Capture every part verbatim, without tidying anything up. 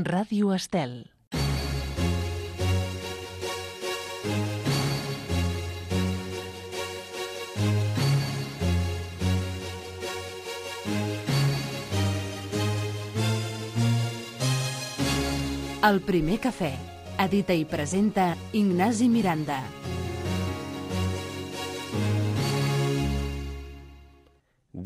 Ràdio Estel. El primer cafè. Edita i presenta Ignasi Miranda.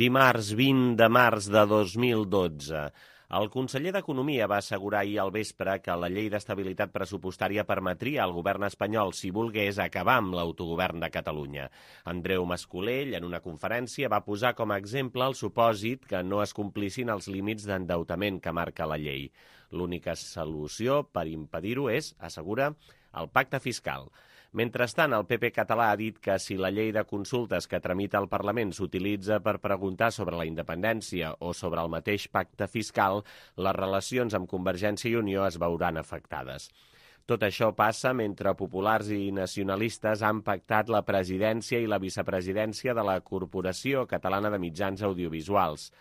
Dimarts vint de març de dos mil dotze. El conseller d'Economia va assegurar ahir al vespre que la llei d'estabilitat pressupostària permetria al govern espanyol, si volgués, acabar amb l'autogovern de Catalunya. Andreu Mas-Colell, en una conferència, va posar com a exemple el supòsit que no es complissin els límits d'endeutament que marca la llei. L'única solució per impedir-ho és, assegura, el pacte fiscal. Mentrestant, el P P català ha dit que si la llei de consultes que tramita el Parlament s'utilitza per preguntar sobre la independència o sobre el mateix pacte fiscal, les relacions amb Convergència i Unió es veuran afectades. Tot això passa mentre populars i nacionalistes han pactat la presidència i la vicepresidència de la Corporació Catalana de Mitjans Audiovisuals.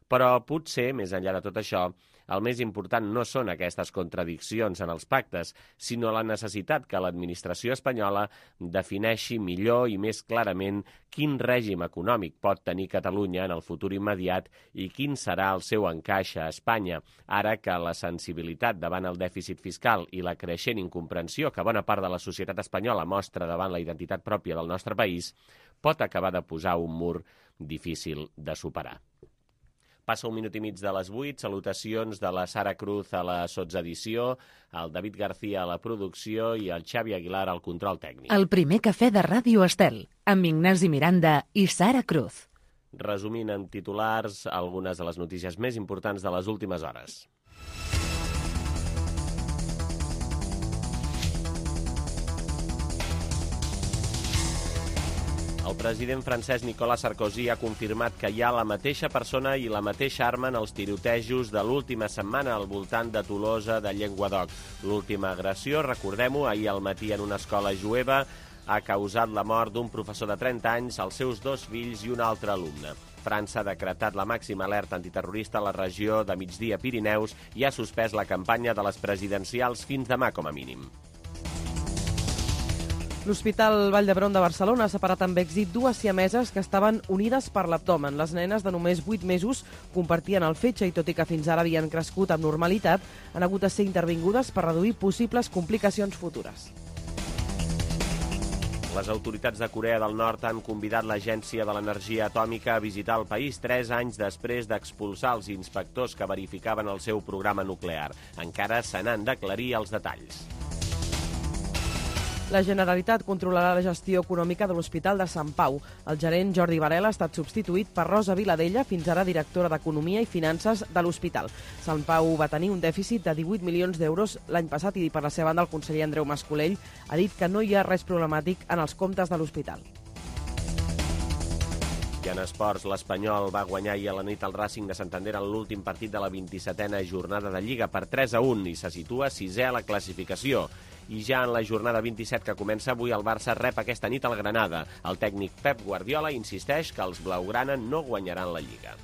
Però potser, més enllà de tot això, el més important no són aquestes contradiccions en els pactes, sinó la necessitat que l'administració espanyola defineixi millor i més clarament quin règim econòmic pot tenir Catalunya en el futur immediat i quin serà el seu encaix a Espanya, ara que la sensibilitat davant el dèficit fiscal i la creixent incomprensió que bona part de la societat espanyola mostra davant la identitat pròpia del nostre país pot acabar de posar un mur difícil de superar. Passa un minut i mig de les vuit, salutacions de la Sara Cruz a la sotsedició, el David García a la producció i el Xavi Aguilar al control tècnic. El primer cafè de Ràdio Estel, amb Ignasi Miranda i Sara Cruz. Resumint en titulars algunes de les notícies més importants de les últimes hores. El president francès Nicolas Sarkozy ha confirmat que hi ha la mateixa persona i la mateixa arma en els tirotejos de l'última setmana al voltant de Tolosa de Llenguadoc. L'última agressió, recordem-ho, ahir al matí en una escola jueva, ha causat la mort d'un professor de trenta anys, els seus dos fills i un altre alumne. França ha decretat la màxima alerta antiterrorista a la regió de Migdia Pirineus i ha suspès la campanya de les presidencials fins demà com a mínim. L'Hospital Vall d'Hebron de Barcelona ha separat amb èxit dues siameses que estaven unides per l'abdomen. Les nenes de només vuit mesos compartien el fetge i, tot i que fins ara havien crescut amb normalitat, han hagut de ser intervingudes per reduir possibles complicacions futures. Les autoritats de Corea del Nord han convidat l'Agència de l'Energia Atòmica a visitar el país tres anys després d'expulsar els inspectors que verificaven el seu programa nuclear. Encara se n'han d'aclarir els detalls. La Generalitat controlarà la gestió econòmica de l'Hospital de Sant Pau. El gerent Jordi Varela ha estat substituït per Rosa Viladella, fins ara directora d'Economia i Finances de l'Hospital. Sant Pau va tenir un dèficit de divuit milions d'euros l'any passat i, per la seva banda, el conseller Andreu Mas-Colell ha dit que no hi ha res problemàtic en els comptes de l'hospital. I en esports, l'Espanyol va guanyar ahir a la nit al Racing de Santander en l'últim partit de la vint-i-setena jornada de Lliga per tres a un i se situa sisè a la classificació. I ja en la jornada vint-i-set que comença avui, el Barça rep aquesta nit al Granada. El tècnic Pep Guardiola insisteix que els blaugrana no guanyaran la Lliga.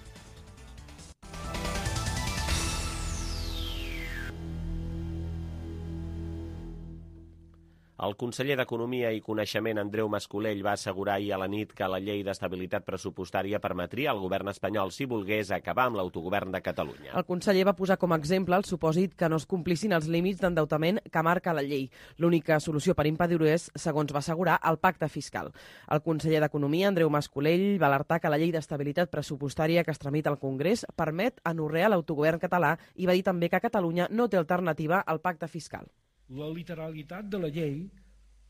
El conseller d'Economia i Coneixement, Andreu Mas-Colell, va assegurar ahir a la nit que la llei d'estabilitat pressupostària permetria al govern espanyol, si volgués, acabar amb l'autogovern de Catalunya. El conseller va posar com a exemple el supòsit que no es complissin els límits d'endeutament que marca la llei. L'única solució per impedir-ho és, segons va assegurar, el pacte fiscal. El conseller d'Economia, Andreu Mas-Colell, va alertar que la llei d'estabilitat pressupostària que es tramita al Congrés permet anorrear l'autogovern català i va dir també que Catalunya no té alternativa al pacte fiscal. La literalitat de la llei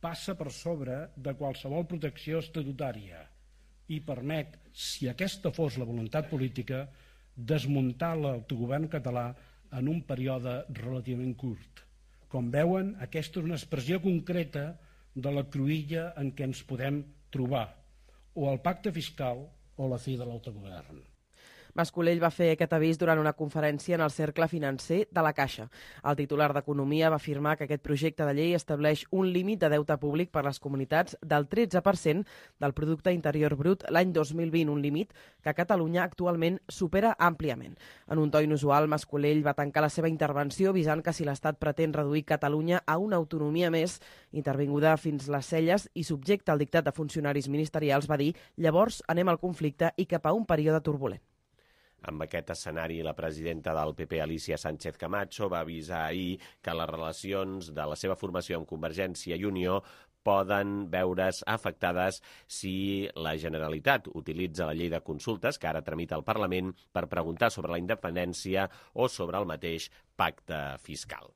passa per sobre de qualsevol protecció estatutària i permet, si aquesta fos la voluntat política, desmuntar l'autogovern català en un període relativament curt. Com veuen, aquesta és una expressió concreta de la cruïlla en què ens podem trobar, o el pacte fiscal o la fi de l'autogovern. Mas-Colell va fer aquest avís durant una conferència en el Cercle Financer de la Caixa. El titular d'Economia va afirmar que aquest projecte de llei estableix un límit de deute públic per les comunitats del tretze per cent del producte interior brut l'any dos mil vint, un límit que Catalunya actualment supera àmpliament. En un to inusual, Mas-Colell va tancar la seva intervenció avisant que si l'Estat pretén reduir Catalunya a una autonomia més, intervinguda fins les celles i subjecta al dictat de funcionaris ministerials, va dir llavors anem al conflicte i cap a un període turbulent. Amb aquest escenari, la presidenta del P P, Alicia Sánchez Camacho, va avisar ahir que les relacions de la seva formació amb Convergència i Unió poden veure's afectades si la Generalitat utilitza la llei de consultes que ara tramita al Parlament per preguntar sobre la independència o sobre el mateix pacte fiscal.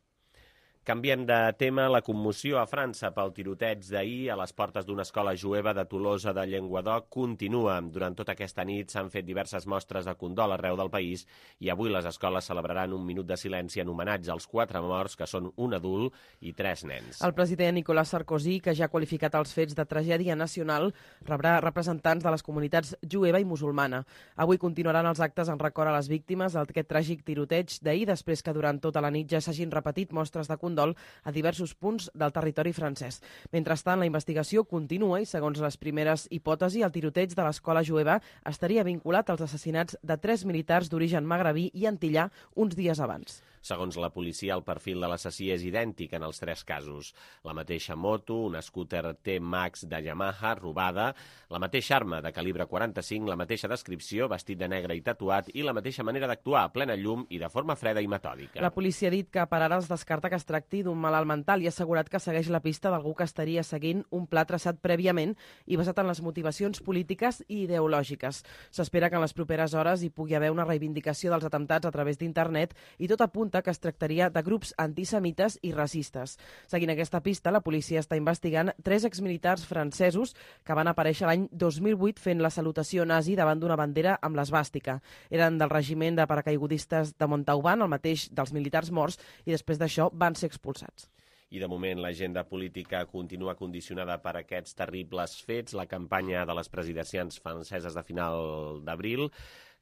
Canviem de tema. La commoció a França pel tiroteig d'ahir a les portes d'una escola jueva de Tolosa de Llenguadoc continua. Durant tota aquesta nit s'han fet diverses mostres de condol arreu del país i avui les escoles celebraran un minut de silenci en homenatge als quatre morts, que són un adult i tres nens. El president Nicolas Sarkozy, que ja ha qualificat els fets de tragèdia nacional, rebrà representants de les comunitats jueva i musulmana. Avui continuaran els actes en record a les víctimes d'aquest tràgic tiroteig d'ahir, després que durant tota la nit ja s'hagin repetit mostres de condol a diversos punts del territori francès. Mentrestant, la investigació continua i, segons les primeres hipòtesis, el tiroteig de l'escola jueva estaria vinculat als assassinats de tres militars d'origen magrebí i antillà uns dies abans. Segons la policia, el perfil de l'assassí és idèntic en els tres casos. La mateixa moto, una scooter T-Max de Yamaha robada, la mateixa arma de calibre quaranta-cinc, la mateixa descripció, vestit de negre i tatuat, i la mateixa manera d'actuar a plena llum i de forma freda i metòdica. La policia ha dit que per ara es descarta que es tracti d'un malalt mental i ha assegurat que segueix la pista d'algú que estaria seguint un pla traçat prèviament i basat en les motivacions polítiques i ideològiques. S'espera que en les properes hores hi pugui haver una reivindicació dels atemptats a través d'internet i tot apunta que es tractaria de grups antisemites i racistes. Seguint aquesta pista, la policia està investigant tres exmilitars francesos que van aparèixer l'any dos mil vuit fent la salutació nazi davant d'una bandera amb l'esvàstica. Eren del regiment de paracaigudistes de Montauban, el mateix dels militars morts, i després d'això van ser expulsats. I de moment l'agenda política continua condicionada per aquests terribles fets. La campanya de les presidencials franceses de final d'abril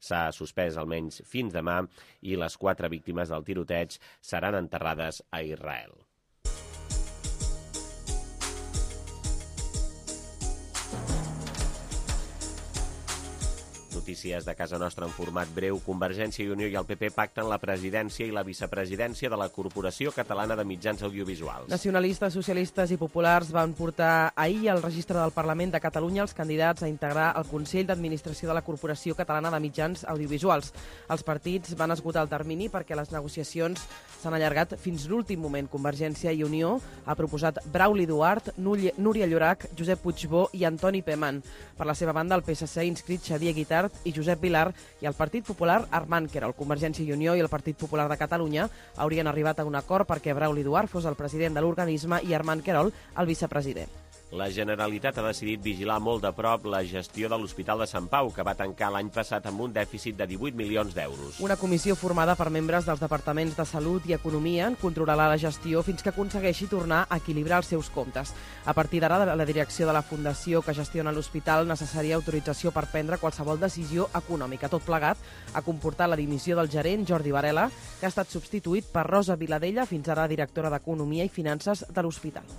s'ha suspès almenys fins demà i les quatre víctimes del tiroteig seran enterrades a Israel. Notícies de casa nostra en format breu. Convergència i Unió i el P P pacten la presidència i la vicepresidència de la Corporació Catalana de Mitjans Audiovisuals. Nacionalistes, socialistes i populars van portar ahir al registre del Parlament de Catalunya els candidats a integrar el Consell d'Administració de la Corporació Catalana de Mitjans Audiovisuals. Els partits van esgotar el termini perquè les negociacions s'han allargat fins l'últim moment. Convergència i Unió ha proposat Brauli Duart, Núria Llorach, Josep Puigbó i Antoni Peman. Per la seva banda, el P S C ha inscrit Xavier Guitart i Josep Vilar i el Partit Popular Armand Querol. Convergència i Unió i el Partit Popular de Catalunya haurien arribat a un acord perquè Brauli Duart fos el president de l'organisme i Armand Querol el vicepresident. La Generalitat ha decidit vigilar molt de prop la gestió de l'Hospital de Sant Pau, que va tancar l'any passat amb un dèficit de divuit milions d'euros. Una comissió formada per membres dels departaments de Salut i Economia en controlarà la gestió fins que aconsegueixi tornar a equilibrar els seus comptes. A partir d'ara, la direcció de la fundació que gestiona l'hospital necessaria autorització per prendre qualsevol decisió econòmica. Tot plegat ha comportat la dimissió del gerent Jordi Varela, que ha estat substituït per Rosa Viladella, fins ara directora d'Economia i Finances de l'hospital.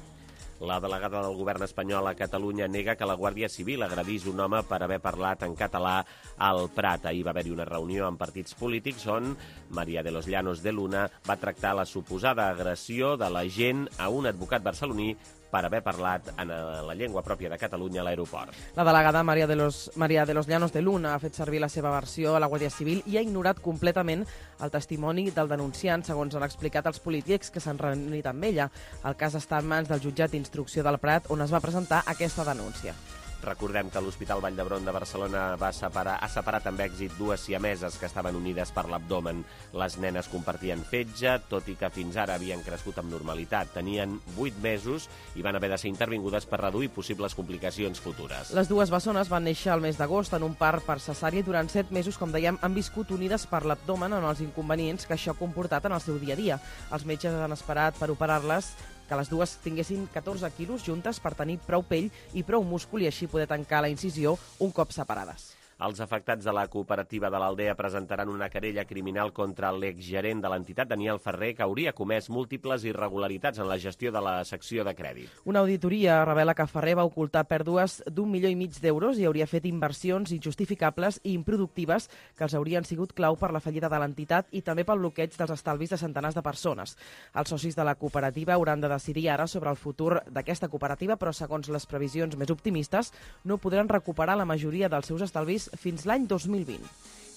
La delegada del govern espanyol a Catalunya nega que la Guàrdia Civil agredís un home per haver parlat en català al Prat. Ahir va haver-hi una reunió amb partits polítics on María de los Llanos de Luna va tractar la suposada agressió de l'agent a un advocat barceloní per haver parlat en la llengua pròpia de Catalunya a l'aeroport. La delegada María de los, María de los Llanos de Luna ha fet servir la seva versió a la Guàrdia Civil i ha ignorat completament el testimoni del denunciant, segons han explicat els polítics que s'han reunit amb ella. El cas està en mans del jutjat d'instrucció del Prat, on es va presentar aquesta denúncia. Recordem que l'Hospital Vall d'Hebron de Barcelona va separar, ha separat amb èxit dues siameses que estaven unides per l'abdomen. Les nenes compartien fetge, tot i que fins ara havien crescut amb normalitat. Tenien vuit mesos i van haver de ser intervingudes per reduir possibles complicacions futures. Les dues bessones van néixer al mes d'agost en un part per cesària i durant set mesos, com dèiem, han viscut unides per l'abdomen en els inconvenients que això ha comportat en el seu dia a dia. Els metges han esperat per operar-les que les dues tinguessin catorze quilos juntes per tenir prou pell i prou múscul i així poder tancar la incisió un cop separades. Els afectats de la cooperativa de l'Aldea presentaran una querella criminal contra l'exgerent de l'entitat, Daniel Ferrer, que hauria comès múltiples irregularitats en la gestió de la secció de crèdit. Una auditoria revela que Ferrer va ocultar pèrdues d'un milió i mig d'euros i hauria fet inversions injustificables i improductives que els haurien sigut clau per la fallida de l'entitat i també pel bloqueig dels estalvis de centenars de persones. Els socis de la cooperativa hauran de decidir ara sobre el futur d'aquesta cooperativa, però segons les previsions més optimistes no podran recuperar la majoria dels seus estalvis fins l'any dos mil vint.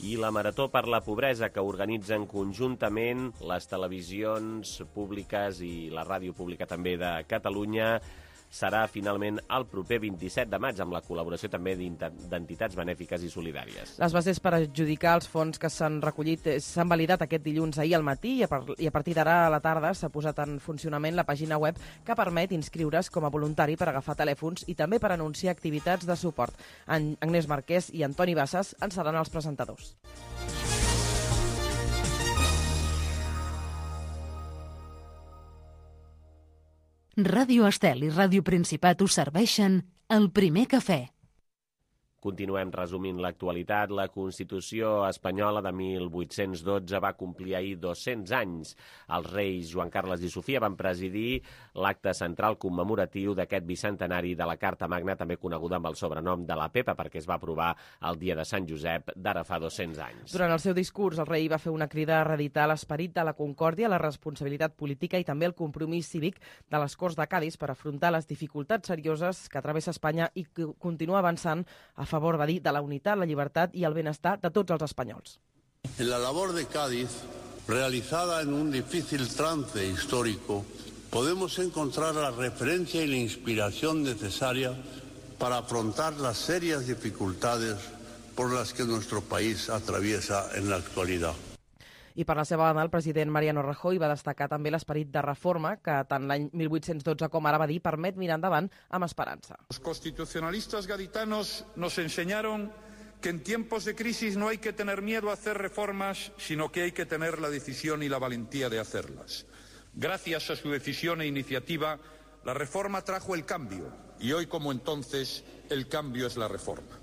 I la Marató per la Pobresa, que organitzen conjuntament les televisions públiques i la ràdio pública també de Catalunya, serà finalment el proper vint-i-set de maig, amb la col·laboració també d'entitats benèfiques i solidàries. Les bases per adjudicar els fons que s'han recollit s'han validat aquest dilluns ahir al matí i a partir d'ara a la tarda s'ha posat en funcionament la pàgina web que permet inscriure's com a voluntari per agafar telèfons i també per anunciar activitats de suport. Agnès Marquès i Antoni Bassas en seran els presentadors. Ràdio Estel i Ràdio Principat us serveixen el primer cafè. Continuem resumint l'actualitat. La Constitució espanyola de mil vuit-cents dotze va complir ahir dos-cents anys. Els reis Joan Carles i Sofia van presidir l'acte central commemoratiu d'aquest bicentenari de la Carta Magna, també coneguda amb el sobrenom de la Pepa, perquè es va aprovar el dia de Sant Josep d'ara fa dos-cents anys. Durant el seu discurs, el rei va fer una crida a reeditar l'esperit de la concòrdia, la responsabilitat política i també el compromís cívic de les Corts de Cadis per afrontar les dificultats serioses que travessa Espanya i continuar avançant a favor, va dir, de la unitat, la llibertat i el benestar de tots els espanyols. En la labor de Cádiz, realizada en un difícil trance histórico, podemos encontrar la referencia y la inspiración necesaria para afrontar las serias dificultades por las que nuestro país atraviesa en la actualidad. I per la seva banda, el president Mariano Rajoy va destacar també l'esperit de reforma que tant l'any mil vuit-cents dotze com ara va dir permet mirar endavant amb esperança. Los constitucionalistas gaditanos nos enseñaron que en tiempos de crisis no hay que tener miedo a hacer reformas, sino que hay que tener la decisión y la valentía de hacerlas. Gracias a su decisión e iniciativa, la reforma trajo el cambio y hoy, como entonces, el cambio es la reforma.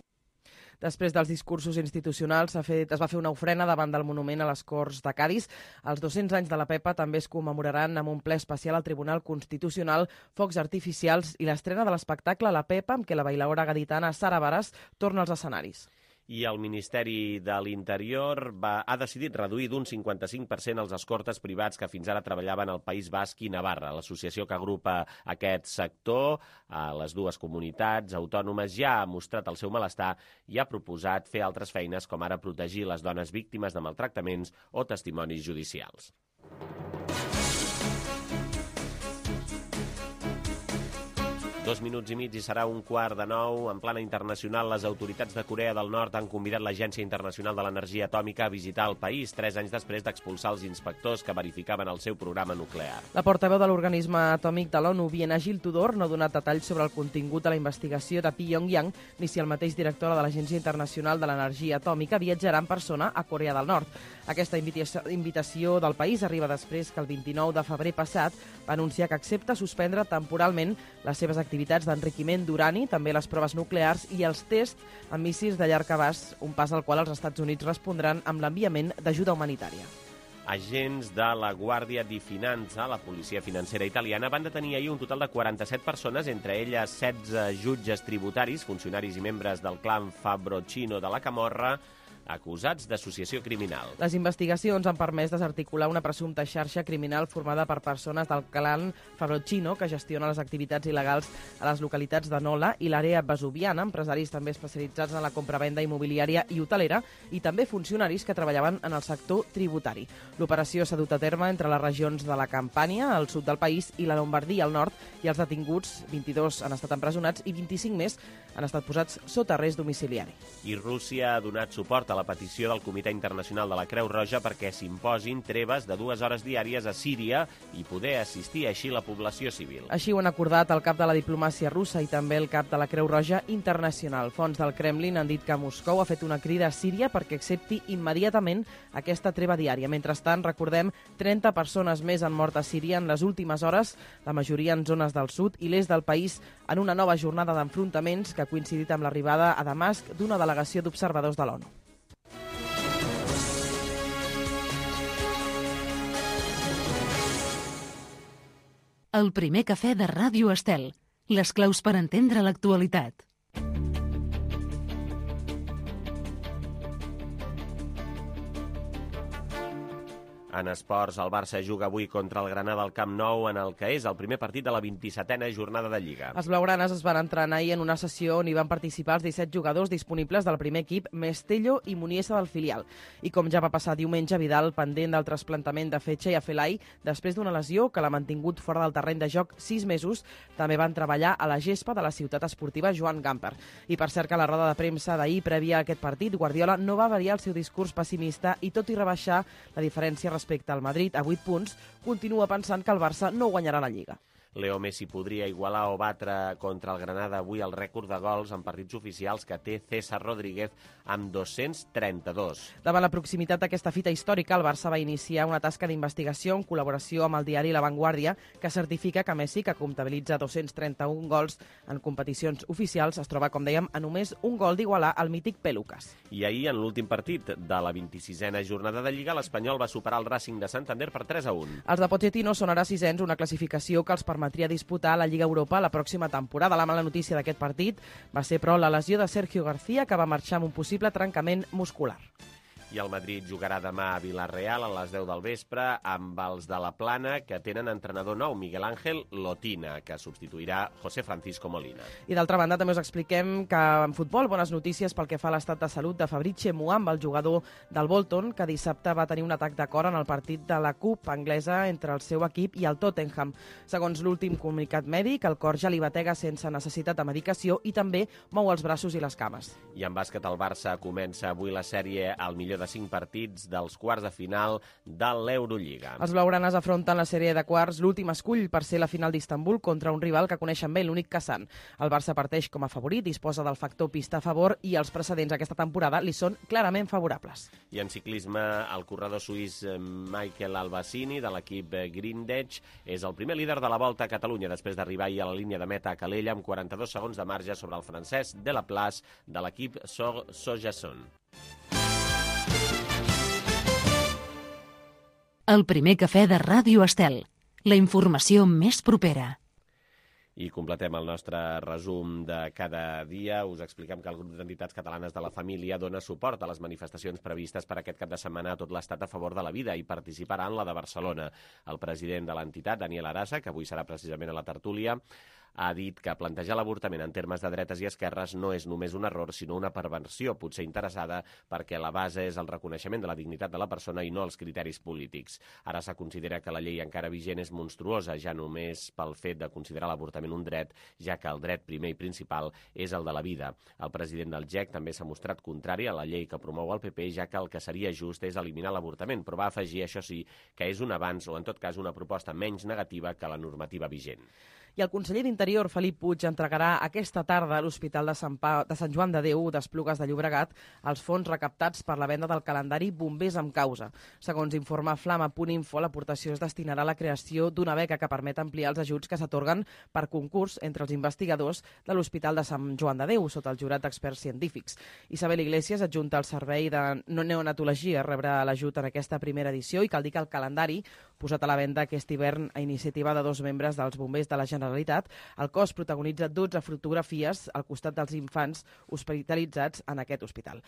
Després dels discursos institucionals s'ha fet, es va fer una ofrena davant del monument a les Corts de Cadis. Els dos-cents anys de la Pepa també es commemoraran amb un ple especial al Tribunal Constitucional, focs artificials i l'estrena de l'espectacle La Pepa, amb què la bailaora gaditana Sara Varas torna als escenaris. I el Ministeri de l'Interior va, ha decidit reduir d'un cinquanta-cinc per cent els escortes privats que fins ara treballaven al País Basc i Navarra. L'associació que agrupa aquest sector a les dues comunitats autònomes ja ha mostrat el seu malestar i ha proposat fer altres feines, com ara protegir les dones víctimes de maltractaments o testimonis judicials. Dos minuts i mig i serà un quart de nou. En plana internacional, les autoritats de Corea del Nord han convidat l'Agència Internacional de l'Energia Atòmica a visitar el país, tres anys després d'expulsar els inspectors que verificaven el seu programa nuclear. La portaveu de l'organisme atòmic de l'ONU, Biena Gil Tudor, no ha donat detalls sobre el contingut de la investigació de Pyongyang, ni si el mateix director de l'Agència Internacional de l'Energia Atòmica viatjarà en persona a Corea del Nord. Aquesta invitació del país arriba després que el vint-i-nou de febrer passat va anunciar que accepta suspendre temporalment les seves activitats d'enriquiment d'urani, també les proves nuclears i els tests amb míssils de llarg abast, un pas al qual els Estats Units respondran amb l'enviament d'ajuda humanitària. Agents de la Guàrdia di Finanza, la policia financera italiana, van detenir ahir un total de quaranta-set persones, entre elles setze jutges tributaris, funcionaris i membres del clan Fabrocino de la Camorra, acusats d'associació criminal. Les investigacions han permès desarticular una presumpta xarxa criminal formada per persones del clan Fabrocino que gestiona les activitats il·legals a les localitats de Nola i l'àrea vesuviana, empresaris també especialitzats en la compravenda immobiliària i hotelera i també funcionaris que treballaven en el sector tributari. L'operació s'ha dut a terme entre les regions de la Campània, al sud del país, i la Lombardia, al nord, i els detinguts, vint-i-dos, han estat empresonats i vint-i-cinc més han estat posats sota arrest domiciliari. I Rússia ha donat suport a la petició del Comitè Internacional de la Creu Roja perquè s'imposin treves de dues hores diàries a Síria i poder assistir així la població civil. Així ho han acordat el cap de la diplomàcia russa i també el cap de la Creu Roja Internacional. Fonts del Kremlin han dit que Moscou ha fet una crida a Síria perquè accepti immediatament aquesta treva diària. Mentrestant, recordem, trenta persones més han mort a Síria en les últimes hores, la majoria en zones del sud i l'est del país, en una nova jornada d'enfrontaments que que ha coincidit amb l'arribada a Damasc d'una delegació d'observadors de l'ONU. El primer cafè de Ràdio Estel. Les claus per entendre l'actualitat. En esports, el Barça juga avui contra el Granada al Camp Nou en el que és el primer partit de la vint-i-setena jornada de Lliga. Els blaugranes es van entrenar ahir en una sessió on hi van participar els disset jugadors disponibles del primer equip, Mestello i Muniesa del filial. I com ja va passar diumenge, Vidal, pendent del trasplantament de fetge i Afelai, després d'una lesió que l'ha mantingut fora del terreny de joc sis mesos, també van treballar a la gespa de la ciutat esportiva Joan Gamper. I per cert que a la roda de premsa d'ahir, prèvia a aquest partit, Guardiola no va variar el seu discurs pessimista i, tot i rebaixar la diferència respecte respecte al Madrid a vuit punts, continua pensant que el Barça no guanyarà la Lliga. Leo Messi podria igualar o batre contra el Granada avui el rècord de gols en partits oficials que té César Rodríguez amb dos-cents trenta-dos. Davant la proximitat d'aquesta fita històrica, el Barça va iniciar una tasca d'investigació en col·laboració amb el diari La Vanguardia que certifica que Messi, que comptabilitza dos-cents trenta-un gols en competicions oficials, es troba, com dèiem, a només un gol d'igualar el mític Pelucas. I ahir, en l'últim partit de la vint-i-sisena jornada de Lliga, l'Espanyol va superar el Racing de Santander per tres a un. Els de Pochettino són ara sisens, una classificació que els permet permetria disputar la Lliga Europa la pròxima temporada. La mala notícia d'aquest partit va ser, però, la lesió de Sergio García, que va marxar amb un possible trencament muscular. I el Madrid jugarà demà a Vila-real a les deu del vespre amb els de la Plana, que tenen entrenador nou, Miguel Ángel Lotina, que substituirà José Francisco Molina. I d'altra banda també us expliquem que en futbol bones notícies pel que fa a l'estat de salut de Fabrice Muamba, el jugador del Bolton, que dissabte va tenir un atac de cor en el partit de la Cup anglesa entre el seu equip i el Tottenham. Segons l'últim comunicat mèdic, el cor ja li batega sense necessitat de medicació i també mou els braços i les cames. I en bàsquet, el Barça comença avui la sèrie al millor de cinc partits dels quarts de final de l'Eurolliga. Els blaugranes afronten la sèrie de quarts, l'últim escull per ser la final d'Istanbul contra un rival que coneixen bé, l'únic Kazan. El Barça parteix com a favorit, disposa del factor pista a favor i els precedents aquesta temporada li són clarament favorables. I en ciclisme, el corredor suís Michael Albacini de l'equip Grindech és el primer líder de la Volta a Catalunya després d'arribar ahir a la línia de meta a Calella amb quaranta-dos segons de marge sobre el francès Delaplace de l'equip Sojason. El primer cafè de Ràdio Estel. La informació més propera. I completem el nostre resum de cada dia. Us expliquem que el grup d'entitats catalanes de la família dona suport a les manifestacions previstes per aquest cap de setmana a tot l'Estat a favor de la vida i participarà en la de Barcelona. El president de l'entitat, Daniel Arasa, que avui serà precisament a la tertúlia, ha dit que plantejar l'avortament en termes de dretes i esquerres no és només un error, sinó una perversió, potser interessada, perquè la base és el reconeixement de la dignitat de la persona i no els criteris polítics. Ara se considera que la llei encara vigent és monstruosa, ja només pel fet de considerar l'avortament un dret, ja que el dret primer i principal és el de la vida. El president del G E C també s'ha mostrat contrari a la llei que promou el P P, ja que el que seria just és eliminar l'avortament, però va afegir, això sí, que és un avanç o, en tot cas, una proposta menys negativa que la normativa vigent. I el conseller d'Interior, Felip Puig, entregarà aquesta tarda a l'Hospital de Sant, pa... de Sant Joan de Déu d'Esplugues de Llobregat els fons recaptats per la venda del calendari Bombers amb causa. Segons informa flama punt info, l'aportació es destinarà a la creació d'una beca que permet ampliar els ajuts que s'atorguen per concurs entre els investigadors de l'Hospital de Sant Joan de Déu, sota el jurat d'experts científics. Isabel Iglesias, adjunta al Servei de Neonatologia, rebrà l'ajut en aquesta primera edició i cal dir que el calendari posat a la venda aquest hivern a iniciativa de dos membres dels bombers de la Generalitat. El cos protagonitza dotze fotografies al costat dels infants hospitalitzats en aquest hospital.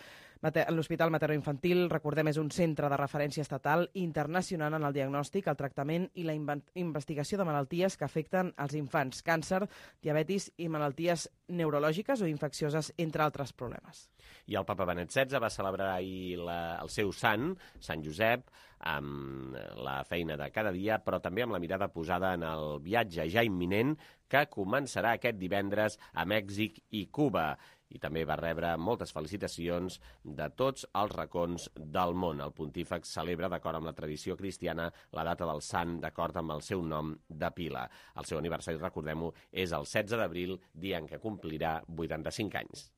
L'Hospital Materno-Infantil, recordem, és un centre de referència estatal i internacional en el diagnòstic, el tractament i la investigació de malalties que afecten els infants, càncer, diabetis i malalties neurològiques o infeccioses, entre altres problemes. I el papa Benet setze va celebrar ahir la, el seu sant, Sant Josep, amb la feina de cada dia, però també amb la mirada posada en el viatge ja imminent que començarà aquest divendres a Mèxic i Cuba. I també va rebre moltes felicitacions de tots els racons del món. El pontífex celebra, d'acord amb la tradició cristiana, la data del sant d'acord amb el seu nom de pila. El seu aniversari, recordem-ho, és el setze d'abril, dia en què complirà vuitanta-cinc anys.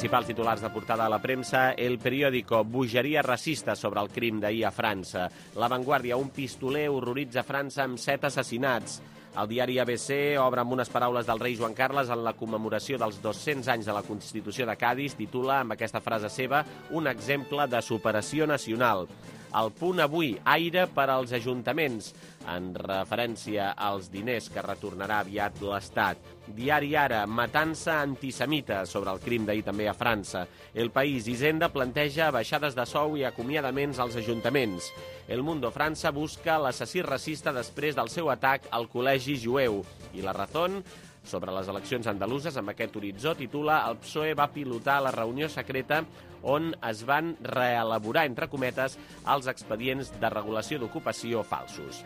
principals titulars de portada a la premsa. El periòdico, bogeria racista sobre el crim d'ahir a França. La Vanguardia, un pistoler horroritza França amb set assassinats. El diari A B C obre amb unes paraules del rei Joan Carles en la commemoració dels dos-cents anys de la Constitució de Cadis. Titula, amb aquesta frase seva, un exemple de superació nacional. El Punt avui, aire per als ajuntaments, en referència als diners que retornarà aviat l'Estat. Diari Ara, matança antisemita sobre el crim d'ahir també a França. El País, Hisenda planteja baixades de sou i acomiadaments als ajuntaments. El Mundo, França busca l'assassí racista després del seu atac al col·legi jueu. I La Razón, sobre les eleccions andaluses, amb aquest horitzó, titula el P S O E va pilotar la reunió secreta on es van reelaborar, entre cometes, els expedients de regulació d'ocupació falsos.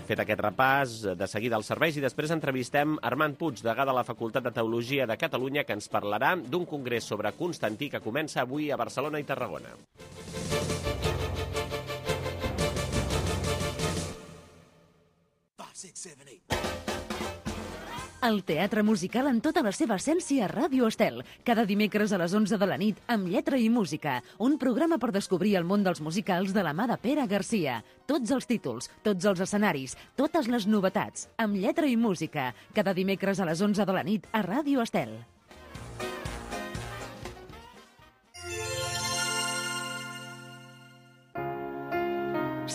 Fet aquest repàs, de seguida als serveis, i després entrevistem Armand Puig, degà de la Facultat de Teologia de Catalunya, que ens parlarà d'un congrés sobre Constantí que comença avui a Barcelona i Tarragona. El teatre musical en tota la seva essència a Ràdio Estel. Cada dimecres a les onze de la nit, amb lletra i música. Un programa per descobrir el món dels musicals de la mà de Pere Garcia. Tots els títols, tots els escenaris, totes les novetats, amb lletra i música. Cada dimecres a les onze de la nit a Ràdio Estel.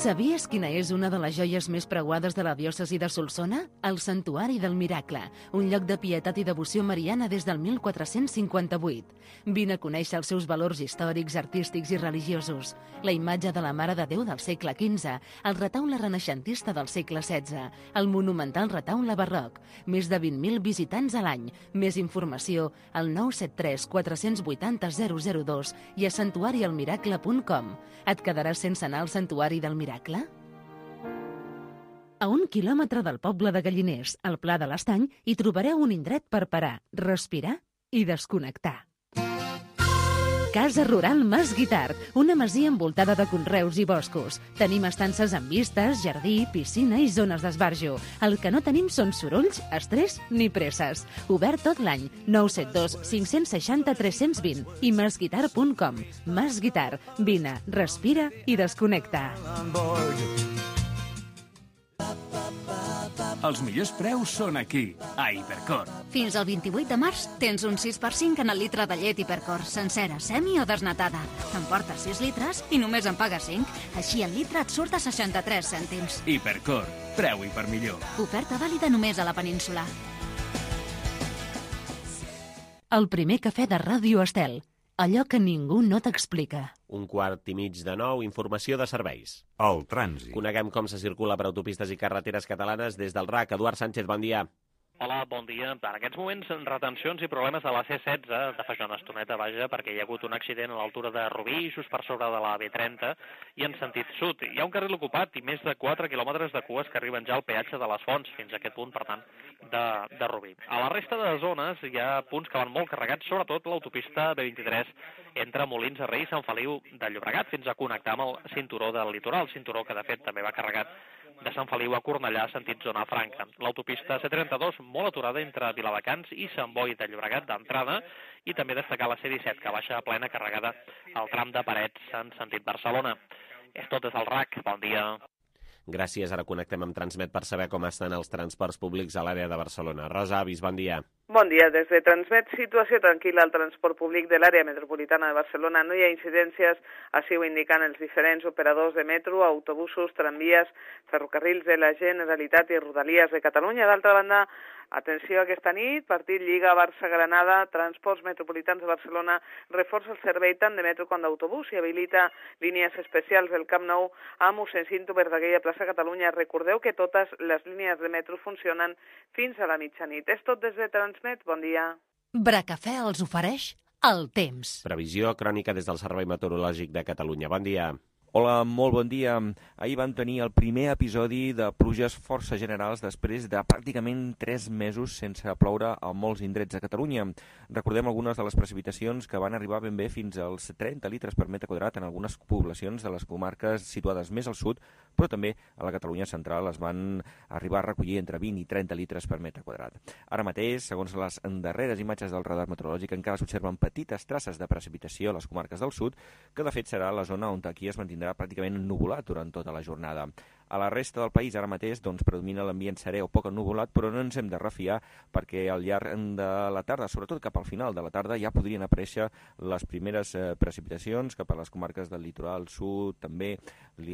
Sabies quina és una de les joies més preuades de la diòcesi de Solsona? El Santuari del Miracle, un lloc de pietat i devoció mariana des del mil quatre-cents cinquanta-vuit. Vine a conèixer els seus valors històrics, artístics i religiosos. La imatge de la Mare de Déu del segle quinze, el retaule renaixentista del segle setze, el monumental retaule barroc, més de vint mil visitants a l'any. Més informació al nou set tres quatre vuit zero zero zero dos i a santuari el miracle punt com. Et quedaràs sense anar al Santuari del Miracle? A un quilòmetre del poble de Galliners, al Pla de l'Estany, hi trobareu un indret per parar, respirar i desconnectar. Casa Rural Mas Guitart, una masia envoltada de conreus i boscos. Tenim estances amb vistes, jardí, piscina i zones d'esbarjo. El que no tenim són sorolls, estrès ni presses. Obert tot l'any. nou set dos cinc sis zero tres dos zero i masguitart punt com. Mas Guitart. Vine, respira i desconnecta. Els millors preus són aquí, a Hipercor. Fins al vint-i-vuit de març tens un sis per cent en el litre de llet Hipercor, sencera, semi o desnatada. Te'n portes sis litres i només en pagues cinc. Així el litre et surt a seixanta-tres cèntims. Hipercor, preu hiper millor. Oferta vàlida només a la península. El primer cafè de Ràdio Estel. Allò que ningú no t'explica. Un quart i mig de nou, informació de serveis. El trànsit. Coneguem com se circula per autopistes i carreteres catalanes des del R A C. Eduard Sánchez, bon dia. Hola, bon dia. En aquests moments, retencions i problemes a la C setze, de fa ja una estoneta, vaja, perquè hi ha hagut un accident a l'altura de Rubí, just per sobre de la B trenta, i en sentit sud. Hi ha un carril ocupat i més de quatre quilòmetres de cues que arriben ja al peatge de les Fonts, fins a aquest punt, per tant, de, de Rubí. A la resta de zones hi ha punts que van molt carregats, sobretot l'autopista B vint-i-tres entre Molins de Rei i Sant Feliu de Llobregat, fins a connectar amb el cinturó del litoral, cinturó que de fet també va carregat de Sant Feliu a Cornellà, sentit zona franca. L'autopista C trenta-dos molt aturada entre Viladecans i Sant Boi de Llobregat d'entrada, i també destacar la C disset, que baixa plena carregada al tram de Parets en sentit Barcelona. És tot des del R A C. Bon dia. Gràcies. Ara connectem amb Transmet per saber com estan els transports públics a l'àrea de Barcelona. Rosa Avis, bon dia. Bon dia. Des de Transmet, situació tranquil·la al transport públic de l'àrea metropolitana de Barcelona. No hi ha incidències, així ho indican els diferents operadors de metro, autobusos, tramvies, ferrocarrils de la Generalitat i Rodalies de Catalunya. D'altra banda, atenció aquesta nit, partit Lliga Barça-Granada, Transports Metropolitans de Barcelona reforça el servei tant de metro com d'autobús i habilita línies especials del Camp Nou a mossèn Cinto Verdaguer a plaça Catalunya. Recordeu que totes les línies de metro funcionen fins a la mitjanit. És tot des de Transmet. Bon dia. Bracafè els ofereix el temps. Previsió crònica des del Servei Meteorològic de Catalunya. Bon dia. Hola, molt bon dia. Ahir van tenir el primer episodi de pluges força generals després de pràcticament tres mesos sense ploure a molts indrets de Catalunya. Recordem algunes de les precipitacions que van arribar ben bé fins als trenta litres per metre quadrat en algunes poblacions de les comarques situades més al sud, però també a la Catalunya central es van arribar a recollir entre vint i trenta litres per metre quadrat. Ara mateix, segons les darreres imatges del radar meteorològic, encara s'observen petites traces de precipitació a les comarques del sud, que de fet serà la zona on aquí es mantindrà pràcticament ennuvolat durant tota la jornada. A la resta del país ara mateix doncs, predomina l'ambient serè o poc ennuvolat, però no ens hem de refiar perquè al llarg de la tarda, sobretot cap al final de la tarda, ja podrien aparèixer les primeres eh, precipitacions cap a les comarques del litoral sud també,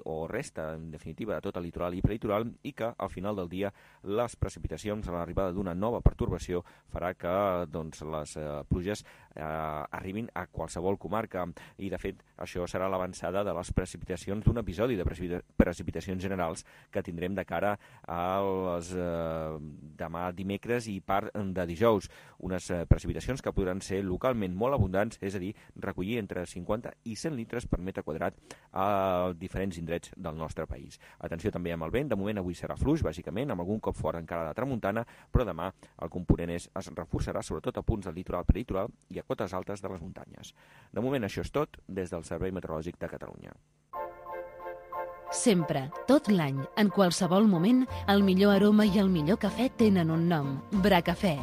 o resta, en definitiva, de tot el litoral i prelitoral, i que al final del dia les precipitacions a l'arribada d'una nova pertorbació farà que doncs, les eh, pluges eh, arribin a qualsevol comarca. I, de fet, això serà l'avançada de les precipitacions d'un episodi de precipita precipitacions generals que tindrem de cara als eh, demà dimecres i part de dijous. Unes eh, precipitacions que podran ser localment molt abundants, és a dir, recollir entre cinquanta i cent litres per metre quadrat a diferents indrets del nostre país. Atenció també amb el vent, de moment avui serà fluix, bàsicament, amb algun cop fort encara de tramuntana, però demà el component és, es reforçarà sobretot a punts del litoral peritoral i a cotes altes de les muntanyes. De moment això és tot des del Servei Meteorològic de Catalunya. Sempre, tot l'any, en qualsevol moment, el millor aroma i el millor cafè tenen un nom, Bracafè.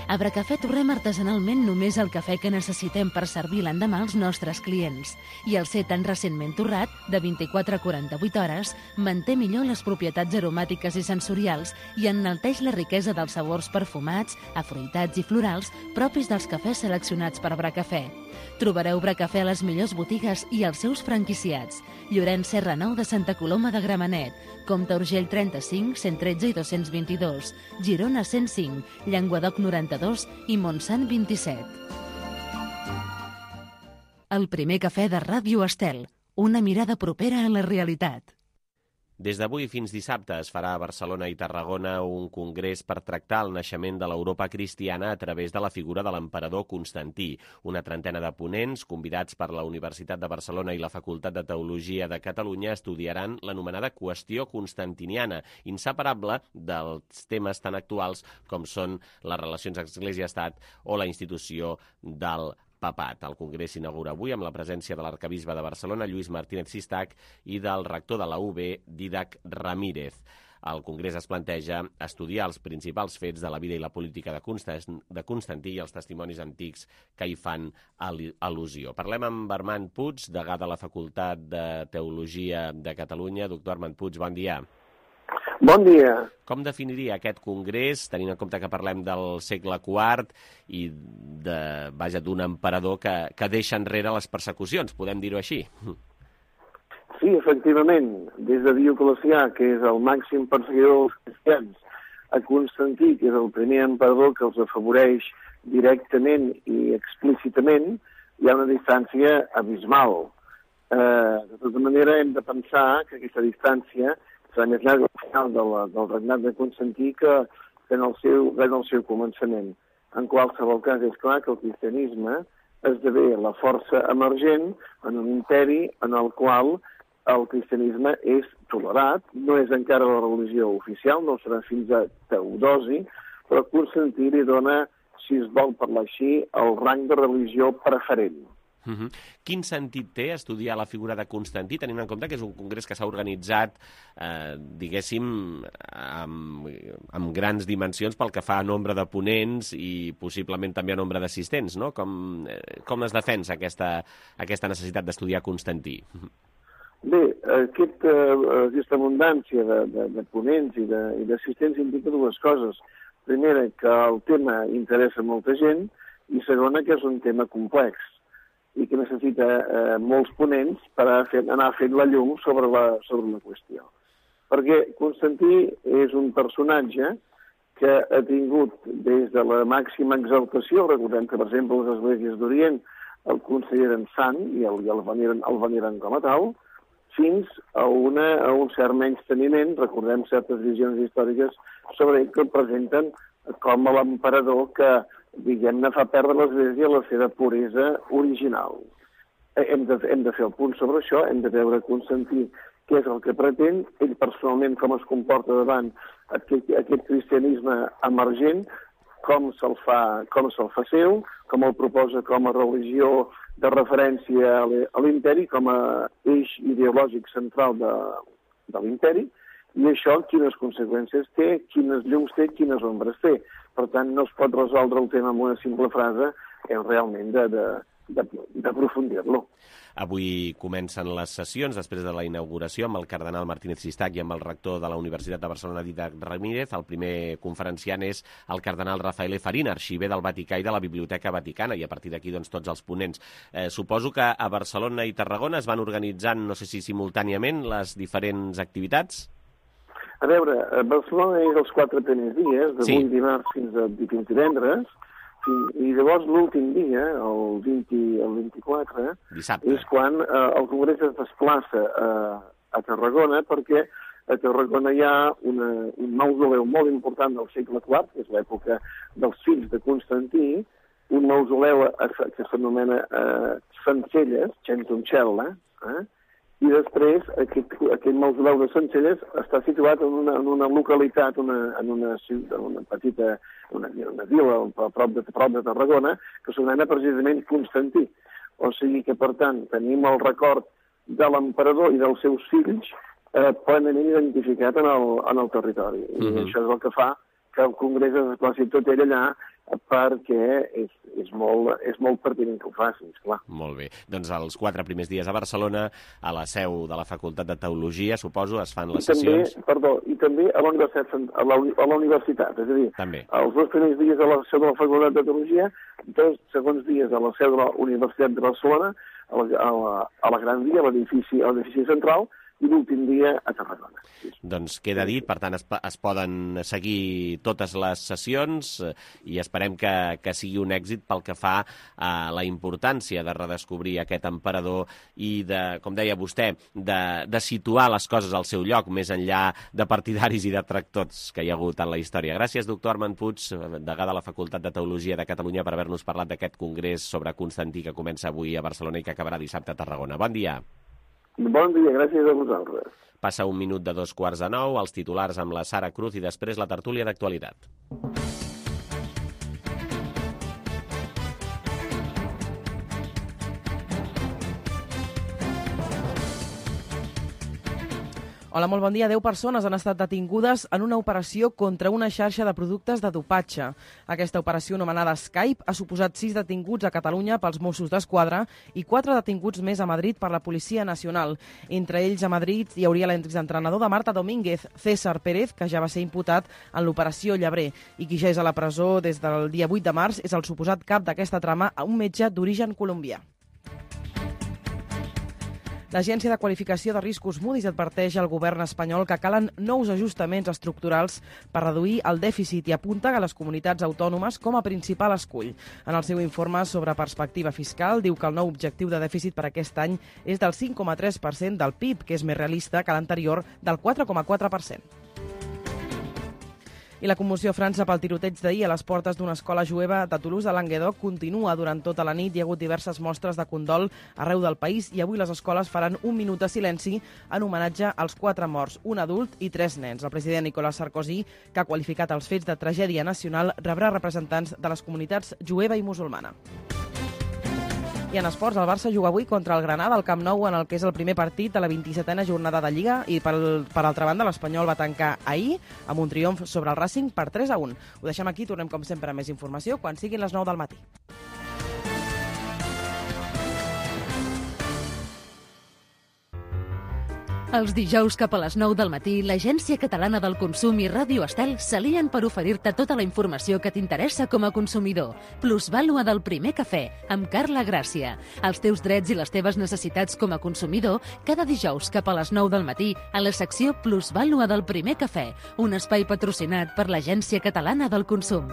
A Bracafè torrem artesanalment només el cafè que necessitem per servir l'endemà als nostres clients. I el ser tan recentment torrat, de vint-i-quatre a quaranta-vuit hores, manté millor les propietats aromàtiques i sensorials i enalteix la riquesa dels sabors perfumats, afruitats i florals propis dels cafès seleccionats per Bracafè. Trobareu Bracafè a les millors botigues i als seus franquiciats. Llorenç Serra nou de Santa Coloma de Gramenet, Comte Urgell trenta-cinc, cent tretze i dos-cents vint-i-dos, Girona cent cinc, Llenguadoc noranta-dos i Montsant vint-i-set. El primer cafè de Ràdio Estel, una mirada propera a la realitat. Des d'avui fins dissabte es farà a Barcelona i Tarragona un congrés per tractar el naixement de l'Europa cristiana a través de la figura de l'emperador Constantí. Una trentena de ponents, convidats per la Universitat de Barcelona i la Facultat de Teologia de Catalunya, estudiaran l'anomenada qüestió constantiniana, inseparable dels temes tan actuals com són les relacions Església-Estat o la institució del Papat. El congrés s'inaugura avui amb la presència de l'arcabisbe de Barcelona, Lluís Martínez Sistac, i del rector de la U B, Dídac Ramírez. El congrés es planteja estudiar els principals fets de la vida i la política de Constantí i els testimonis antics que hi fan al·lusió. Parlem amb Armand Puig, degà de la Facultat de Teologia de Catalunya. Doctor Armand Puig, bon dia. Bon dia. Com definiria aquest congrés, tenint en compte que parlem del segle quart i de, vaja, d'un emperador que, que deixa enrere les persecucions, podem dir-ho així? Sí, efectivament. Des de Dioclecià, que és el màxim perseguidor dels cristians, a Constantí, que és el primer emperador que els afavoreix directament i explícitament, hi ha una distància abismal. Eh, de tota manera, hem de pensar que aquesta distància serà més llarg al final de la, del regnat de Constantí que, que en, el seu, en el seu començament. En qualsevol cas, és clar que el cristianisme esdevé la força emergent en un imperi en el qual el cristianisme és tolerat, no és encara la religió oficial, no serà fins a Teodosi, però Constantí li dona, si es vol parlar així, el rang de religió preferent. Uh-huh. Quin sentit té estudiar la figura de Constantí, tenint en compte que és un congrés que s'ha organitzat, eh, diguéssim, amb, amb grans dimensions pel que fa a nombre de ponents i possiblement també a nombre d'assistents, no? Com, eh, com es defensa aquesta, aquesta necessitat d'estudiar Constantí? Bé, aquest, eh, aquesta abundància de, de, de ponents i d'assistents indica dues coses. Primera, que el tema interessa molta gent, i segona, que és un tema complex i que necessita eh, molts ponents per a fer, anar fent la llum sobre la, sobre la qüestió. Perquè Constantí és un personatge que ha tingut des de la màxima exaltació, recordem que, per exemple, les esglésies d'Orient el consideren sant i el, i el, veneren, el veneren com a tal, fins a, una, a un cert menysteniment, recordem certes visions històriques sobre ell que el presenten com a l'emperador que, diguem-ne, fa perdre l'Església la seva puresa original. Hem de, hem de fer el punt sobre això, hem de veure Constantí què és el que pretén, ell personalment com es comporta davant aquest, aquest cristianisme emergent, com se'l fa, com se'l fa seu, com el proposa com a religió de referència a l'imperi, com a eix ideològic central de, de l'imperi, i això quines conseqüències té, quines llums té, quines ombres té. Per tant, no es pot resoldre el tema amb una simple frase, és realment d'aprofundir-lo. Avui comencen les sessions després de la inauguració amb el cardenal Martínez Sistac i amb el rector de la Universitat de Barcelona, Dídac Ramírez. El primer conferenciant és el cardenal Rafael Farina, arxiver del Vaticà i de la Biblioteca Vaticana, i a partir d'aquí doncs, tots els ponents. Eh, suposo que a Barcelona i Tarragona es van organitzant, no sé si simultàniament, les diferents activitats? A veure, a Barcelona és els quatre primers dies, d'avui sí. dimarts fins a divendres, i llavors l'últim dia, el, vint, el vint-i-quatre, dissabte, és quan eh, el Congrés es desplaça a, a Tarragona, perquè a Tarragona hi ha una, un mausoleu molt important del segle quart, que és l'època dels fills de Constantí, un mausoleu que s'anomena eh, Centelles, Centuncella, eh? I després aquest, aquest mausoleu de Centelles està situat en una, en una localitat, una, en una, una petita una, una vila a prop de, a prop de Tarragona, que s'anomena precisament Constantí. O sigui que, per tant, tenim el record de l'emperador i dels seus fills eh, plenament identificat en el, en el territori. I mm-hmm. això és el que fa que el Congrés es desplaci tot ell allà, perquè és, és, molt, és molt pertinent que ho facin, esclar. Molt bé. Doncs els quatre primers dies a Barcelona, a la seu de la Facultat de Teologia, suposo, es fan les I també, sessions... Perdó, i també a la, a la, a la universitat, és a dir, també. Els dos primers dies a la seu de la Facultat de Teologia, dos segons dies a la seu de la Universitat de Barcelona, a la, a la, a la Gran Via, a l'edifici central, i l'últim dia a Tarragona. Doncs queda dit, per tant es, es poden seguir totes les sessions i esperem que, que sigui un èxit pel que fa a la importància de redescobrir aquest emperador i de, com deia vostè, de, de situar les coses al seu lloc, més enllà de partidaris i detractors que hi ha hagut en la història. Gràcies, doctor Armand Puig, degà de la Facultat de Teologia de Catalunya, per haver-nos parlat d'aquest congrés sobre Constantí que comença avui a Barcelona i que acabarà dissabte a Tarragona. Bon dia. Bon dia, gràcies a vosaltres. Passa un minut de dos quarts de nou, els titulars amb la Sara Cruz i després la tertúlia d'actualitat. Hola, molt bon dia. Deu persones han estat detingudes en una operació contra una xarxa de productes de dopatge. Aquesta operació, anomenada Skype, ha suposat sis detinguts a Catalunya pels Mossos d'Esquadra i quatre detinguts més a Madrid per la Policia Nacional. Entre ells, a Madrid, hi hauria l'exentrenador de Marta Domínguez, César Pérez, que ja va ser imputat en l'operació Llebrer, i qui ja és a la presó des del dia vuit de març és el suposat cap d'aquesta trama, un metge d'origen colombià. L'Agència de Qualificació de Riscos Moody's adverteix al govern espanyol que calen nous ajustaments estructurals per reduir el dèficit i apunta a les comunitats autònomes com a principal escull. En el seu informe sobre perspectiva fiscal diu que el nou objectiu de dèficit per aquest any és del cinc coma tres per cent del P I B, que és més realista que l'anterior del quatre coma quatre per cent. I la commoció a França pel tiroteig d'ahir a les portes d'una escola jueva de Toulouse a Languedoc continua durant tota la nit. Hi ha hagut diverses mostres de condol arreu del país i avui les escoles faran un minut de silenci en homenatge als quatre morts, un adult i tres nens. El president Nicolas Sarkozy, que ha qualificat els fets de tragèdia nacional, rebrà representants de les comunitats jueva i musulmana. I en esports, el Barça juga avui contra el Granada al Camp Nou en el que és el primer partit de la vint-i-setena jornada de Lliga i per, per altra banda l'Espanyol va tancar ahir amb un triomf sobre el Racing per tres a un. Ho deixem aquí, tornem com sempre amb més informació quan siguin les nou del matí. Els dijous cap a les nou del matí, l'Agència Catalana del Consum i Ràdio Estel s'alien per oferir-te tota la informació que t'interessa com a consumidor. Plusvàlua del primer cafè, amb Carla Gràcia. Els teus drets i les teves necessitats com a consumidor, cada dijous cap a les nou del matí, a la secció Plusvàlua del primer cafè, un espai patrocinat per l'Agència Catalana del Consum.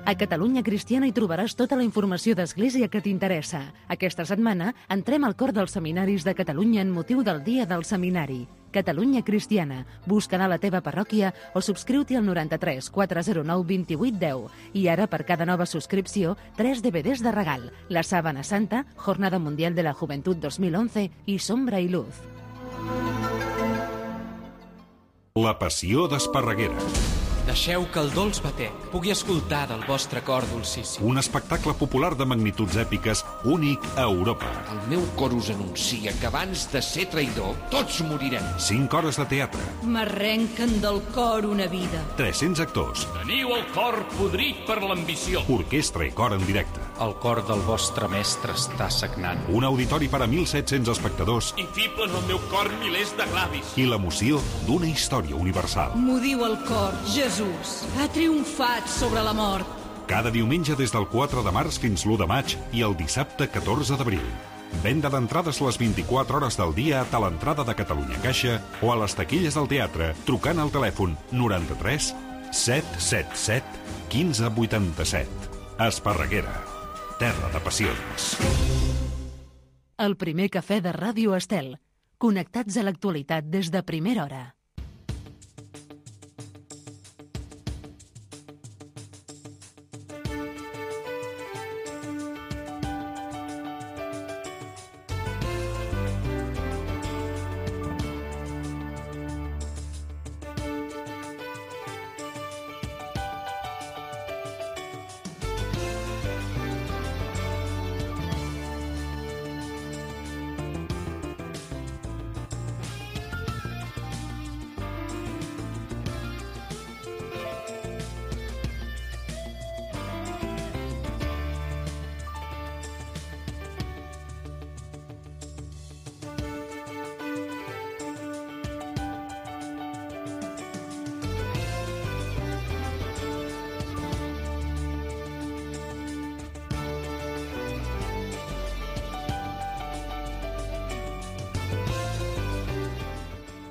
A Catalunya Cristiana hi trobaràs tota la informació d'Església que t'interessa. Aquesta setmana entrem al cor dels seminaris de Catalunya en motiu del Dia del Seminari. Catalunya Cristiana. Busca anar a la teva parròquia o subscriu-t'hi al noranta-tres quatre zero nou vint vuit deu. I ara, per cada nova subscripció, tres D V Ds de regal. La Sábana Santa, Jornada Mundial de la Juventud dos mil once i Sombra i Luz. La passió d'Esparreguera. Deixeu que el dolç batec pugui escoltar del vostre cor dolcíssim. Un espectacle popular de magnituds èpiques únic a Europa. El meu cor us anuncia que abans de ser traïdor, tots morirem. Cinc hores de teatre. M'arrenquen del cor una vida. tres-cents actors. Teniu el cor podrit per l'ambició. Orquestra i cor en directe. El cor del vostre mestre està sagnant. Un auditori per a mil set-cents espectadors. I fiblen al meu cor milers de glavis. I l'emoció d'una història universal. M'ho diu el cor, Jesús. Ha triomfat sobre la mort. Cada diumenge des del quatre de març fins l'u de maig i el dissabte catorze d'abril. Venda d'entrades les vint-i-quatre hores del dia a Talentrada de Catalunya Caixa o a les taquilles del teatre trucant al telèfon noranta-tres set set set quinze vuitanta-set. Esparreguera, terra de passions. El primer cafè de Ràdio Estel. Connectats a l'actualitat des de primera hora.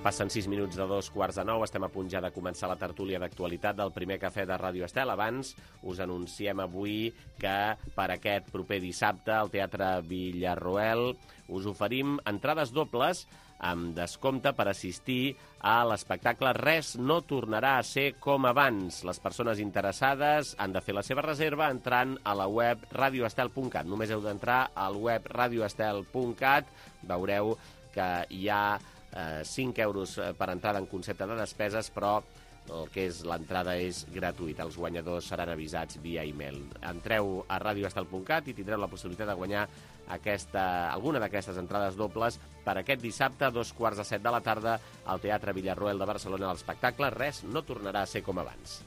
Passen sis minuts de dos quarts de nou, estem a punt ja de començar la tertúlia d'actualitat del primer cafè de Ràdio Estel. Abans us anunciem avui que per aquest proper dissabte al Teatre Villarroel us oferim entrades dobles amb descompte per assistir a l'espectacle Res no tornarà a ser com abans. Les persones interessades han de fer la seva reserva entrant a la web radioestel punt cat. Només heu d'entrar al web radioestel punt cat. Veureu que hi ha eh, cinc euros per entrada en concepte de despeses, però el que és l'entrada és gratuïta. Els guanyadors seran avisats via e-mail. Entreu a radioestel punt cat i tindreu la possibilitat de guanyar aquesta, alguna d'aquestes entrades dobles per aquest dissabte a dos quarts de set de la tarda al Teatre Villarroel de Barcelona. L'espectacle Res no tornarà a ser com abans.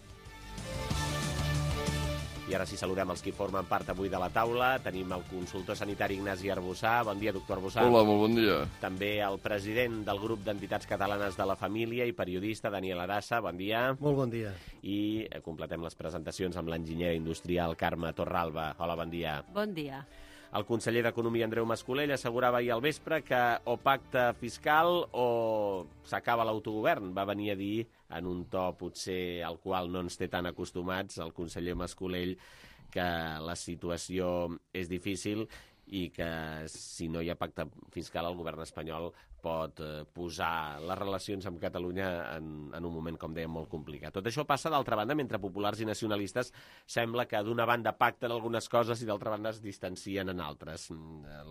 I ara sí, saludem els que formen part avui de la taula. Tenim el consultor sanitari Ignasi Arbussà. Bon dia, doctor Arbussà. Hola, molt bon dia. També el president del grup d'entitats catalanes de la família i periodista Daniel Arassa. Bon dia. Molt bon dia. I completem les presentacions amb l'enginyera industrial Carme Torralba. Hola, bon dia. Bon dia. El conseller d'Economia, Andreu Mas-Colell, assegurava ahir al vespre que o pacte fiscal o s'acaba l'autogovern. Va venir a dir, en un to potser al qual no ens té tan acostumats, el conseller Mas-Colell, que la situació és difícil i que si no hi ha pacte fiscal el govern espanyol pot eh, posar les relacions amb Catalunya en, en un moment, com dèiem, molt complicat. Tot això passa, d'altra banda, mentre populars i nacionalistes sembla que d'una banda pacten algunes coses i d'altra banda es distancien en altres.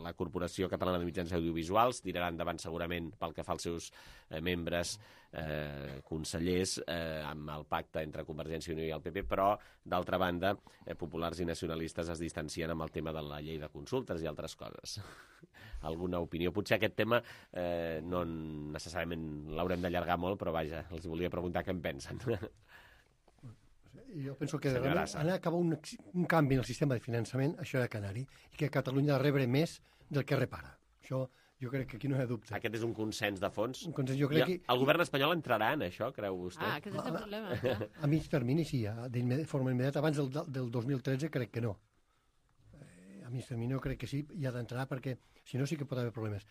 La Corporació Catalana de Mitjans Audiovisuals tirarà endavant segurament pel que fa als seus eh, membres eh, consellers eh, amb el pacte entre Convergència i Unió i el P P, però d'altra banda eh, populars i nacionalistes es distancien amb el tema de la llei de consultes i altres coses. Alguna opinió? Potser aquest tema eh, no necessàriament l'haurem d'allargar molt, però vaja, els volia preguntar què en pensen. Jo penso que ha d'acabar un, un canvi en el sistema de finançament, això de Canari, i que Catalunya ha de rebre més del que repara. Això jo crec que aquí no hi ha dubte. Aquest és un consens de fons? Un consens, jo crec I que... El govern espanyol entrarà en això, creu vostè? Ah, aquest és el problema. A, a mig termini sí, de forma immediata. Abans del, del dos mil tretze crec que no. A mig termini jo crec que sí, hi ha d'entrar perquè si no sí que pot haver problemes.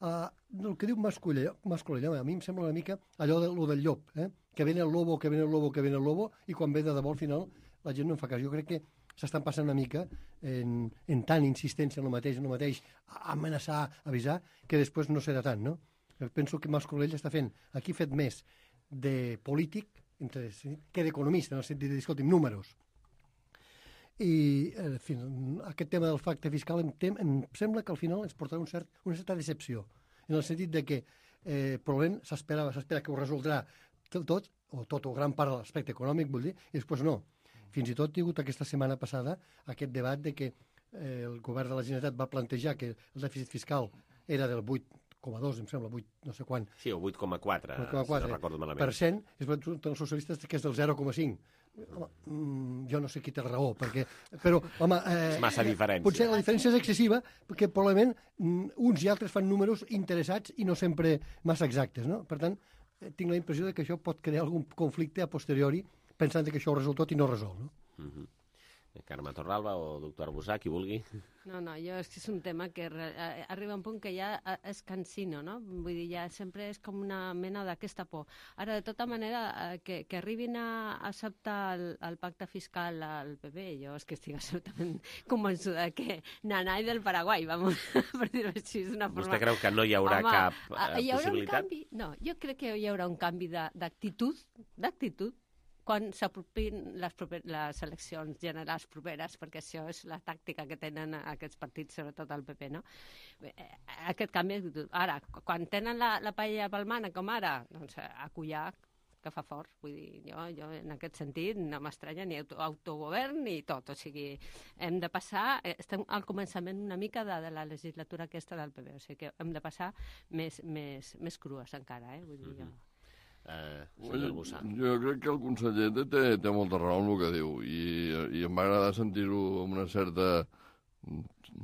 Uh, el que diu Mas-Colell, a mi em sembla una mica allò de, lo del llop, eh? Que ven el lobo, que ven el lobo, que ven el lobo, i quan ve de debò al final la gent no en fa cas. Jo crec que s'estan passant una mica en, en tant insistència en el mateix, en el mateix, amenaçar, avisar, que després no serà tant, no? Jo penso que Mas-Colell està fent, aquí fet més de polític entre, que d'economista, en el sentit de dir, escolti'm, números. I en fi, aquest tema del pacte fiscal em, tem, em sembla que al final ens portarà un cert, una certa decepció, en el sentit de que eh, probablement s'espera s'espera que ho resoldrà tot, o tot o gran part de l'aspecte econòmic, vull dir, i després no. Fins i tot hi ha hagut aquesta setmana passada aquest debat de que eh, el govern de la Generalitat va plantejar que el dèficit fiscal era del vuit coma dos, em sembla, vuit, no sé quan. Sí, o vuit coma quatre, si no recordo malament. Per cent, és els socialistes que és del zero coma cinc. Home, mm, jo no sé qui té raó, perquè... Però, home... Eh, és massa diferència. Potser la diferència és excessiva, perquè probablement mm, uns i altres fan números interessats i no sempre massa exactes, no? Per tant, eh, tinc la impressió de que això pot crear algun conflicte a posteriori, pensant que això ho resol tot i no resol, no? Mm-hmm. Carme Torralba o doctor Arbusà, qui vulgui. No, no, jo és que és un tema que arriba a un punt que ja és cansino, no? Vull dir, ja sempre és com una mena d'aquesta por. Ara, de tota manera, que, que arribin a acceptar el, el pacte fiscal al P P, jo és que estic absolutament convençuda que nanai del Paraguai, vamos, per dir-ho així, és una forma... Vostè creu que no hi haurà Home, cap uh, hi haurà possibilitat? Un canvi? No, jo crec que hi haurà un canvi d'actitud, d'actitud, quan s'apropin les, les eleccions generals properes, perquè això és la tàctica que tenen aquests partits, sobretot el P P, no? Aquest canvi d'actitud. Ara, quan tenen la, la paella pel mànec, com ara, doncs a collar, que fa fort. Vull dir, jo, jo en aquest sentit no m'estranya ni auto, autogovern ni tot. O sigui, hem de passar... Estem al començament una mica de, de la legislatura aquesta del P P, o sigui que hem de passar més, més, més crues encara, eh? Vull dir, jo... Uh, jo crec que el conseller té, té molta raó en el que diu i, i em va agradar sentir-ho amb una certa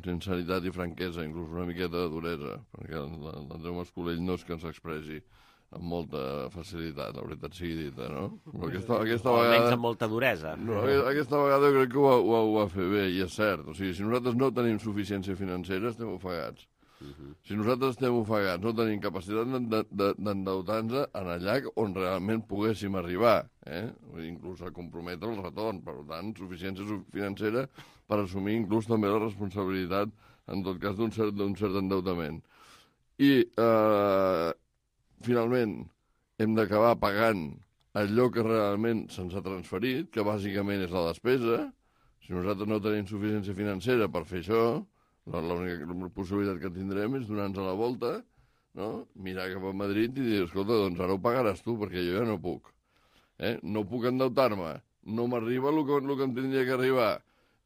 sinceritat i franquesa, inclús una miqueta de duresa, perquè l'Andreu Mascolell no és que ens expressi amb molta facilitat, la veritat sigui dita, no? Però aquesta, aquesta o vegada... almenys amb molta duresa. No, aquesta vegada jo crec que ho, ho, ho va fer bé, i és cert. O sigui, si nosaltres no tenim suficiència financera, estem ofegats. Uh-huh. Si nosaltres estem ofegats, no tenim capacitat d'endeutar-nos en allà on realment poguéssim arribar, eh? Inclús a comprometre el retorn, per tant, suficiència financera per assumir inclús també la responsabilitat, en tot cas, d'un cert, d'un cert endeutament. I, eh, finalment, hem d'acabar pagant allò que realment se'ns ha transferit, que bàsicament és la despesa. Si nosaltres no tenim suficiència financera per fer això, l'única possibilitat que tindrem és donar-nos a la volta, no? Mirar cap a Madrid i dir, escolta, doncs ara ho pagaràs tu, perquè jo ja no puc. Eh? No puc endeutar-me, no m'arriba el que, el que em tindria que arribar.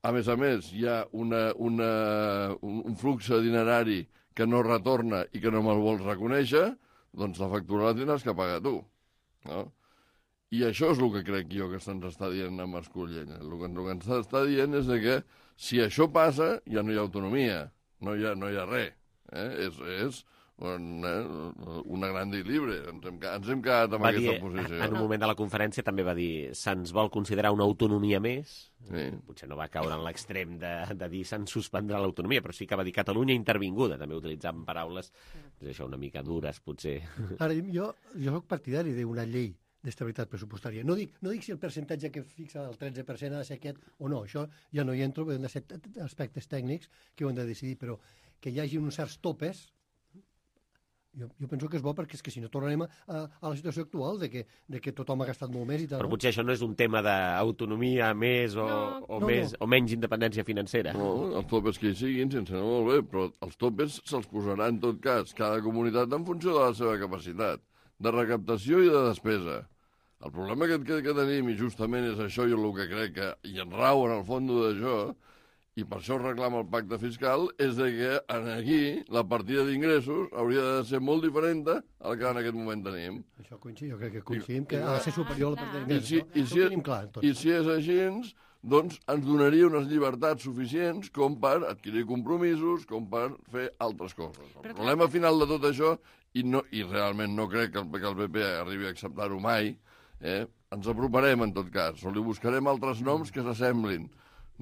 A més a més, hi ha una, una, un, un flux dinerari que no retorna i que no me'l vols reconèixer, doncs la factura la tindràs que pagar tu. No? I això és el que crec jo que se'ns està dient a Mascolell. El que, el que ens està dient és que si això passa, ja no hi ha autonomia, no hi ha, no hi ha res. Eh? És, és un, eh, una gran libre. Ens hem, ens hem quedat amb va aquesta dir, posició. En un moment de la conferència també va dir se'ns vol considerar una autonomia més. Sí. Potser no va caure en l'extrem de, de dir se'ns suspendrà l'autonomia, però sí que va dir Catalunya intervinguda, també utilitzant paraules això una mica dures, potser. Ara, jo, jo soc partidari d'una llei d'estabilitat pressupostària. No dic, no dic si el percentatge que fixa el tretze per cent ha de ser aquest o no, això ja no hi entro, han de ser aspectes tècnics que ho han de decidir, però que hi hagi uns certs topes, jo, jo penso que és bo, perquè és que si no tornarem a, a la situació actual de que, de que tothom ha gastat molt més i tal. Però potser això no és un tema d'autonomia més o, no, o, no, més, no. o menys independència financera. No, els topes que hi siguin, sense no molt bé, però els topes se'ls posarà en tot cas cada comunitat en funció de la seva capacitat de recaptació i de despesa. El problema que, que, que tenim, i justament és això i el que crec que hi enrau en el fons d'això, i per això reclama el pacte fiscal, és de que aquí la partida d'ingressos hauria de ser molt diferent al que en aquest moment tenim. Això coincidim, jo crec que coincidim, que ha de ser superior a la partida d'ingressos. I si, no? i si, tenim clar, tot. I si és així, doncs ens donaria unes llibertats suficients com per adquirir compromisos, com per fer altres coses. El problema final de tot això, i, no, i realment no crec que el, que el P P arribi a acceptar-ho mai, eh? ens aproparem en tot cas, o li buscarem altres noms que s'assemblin.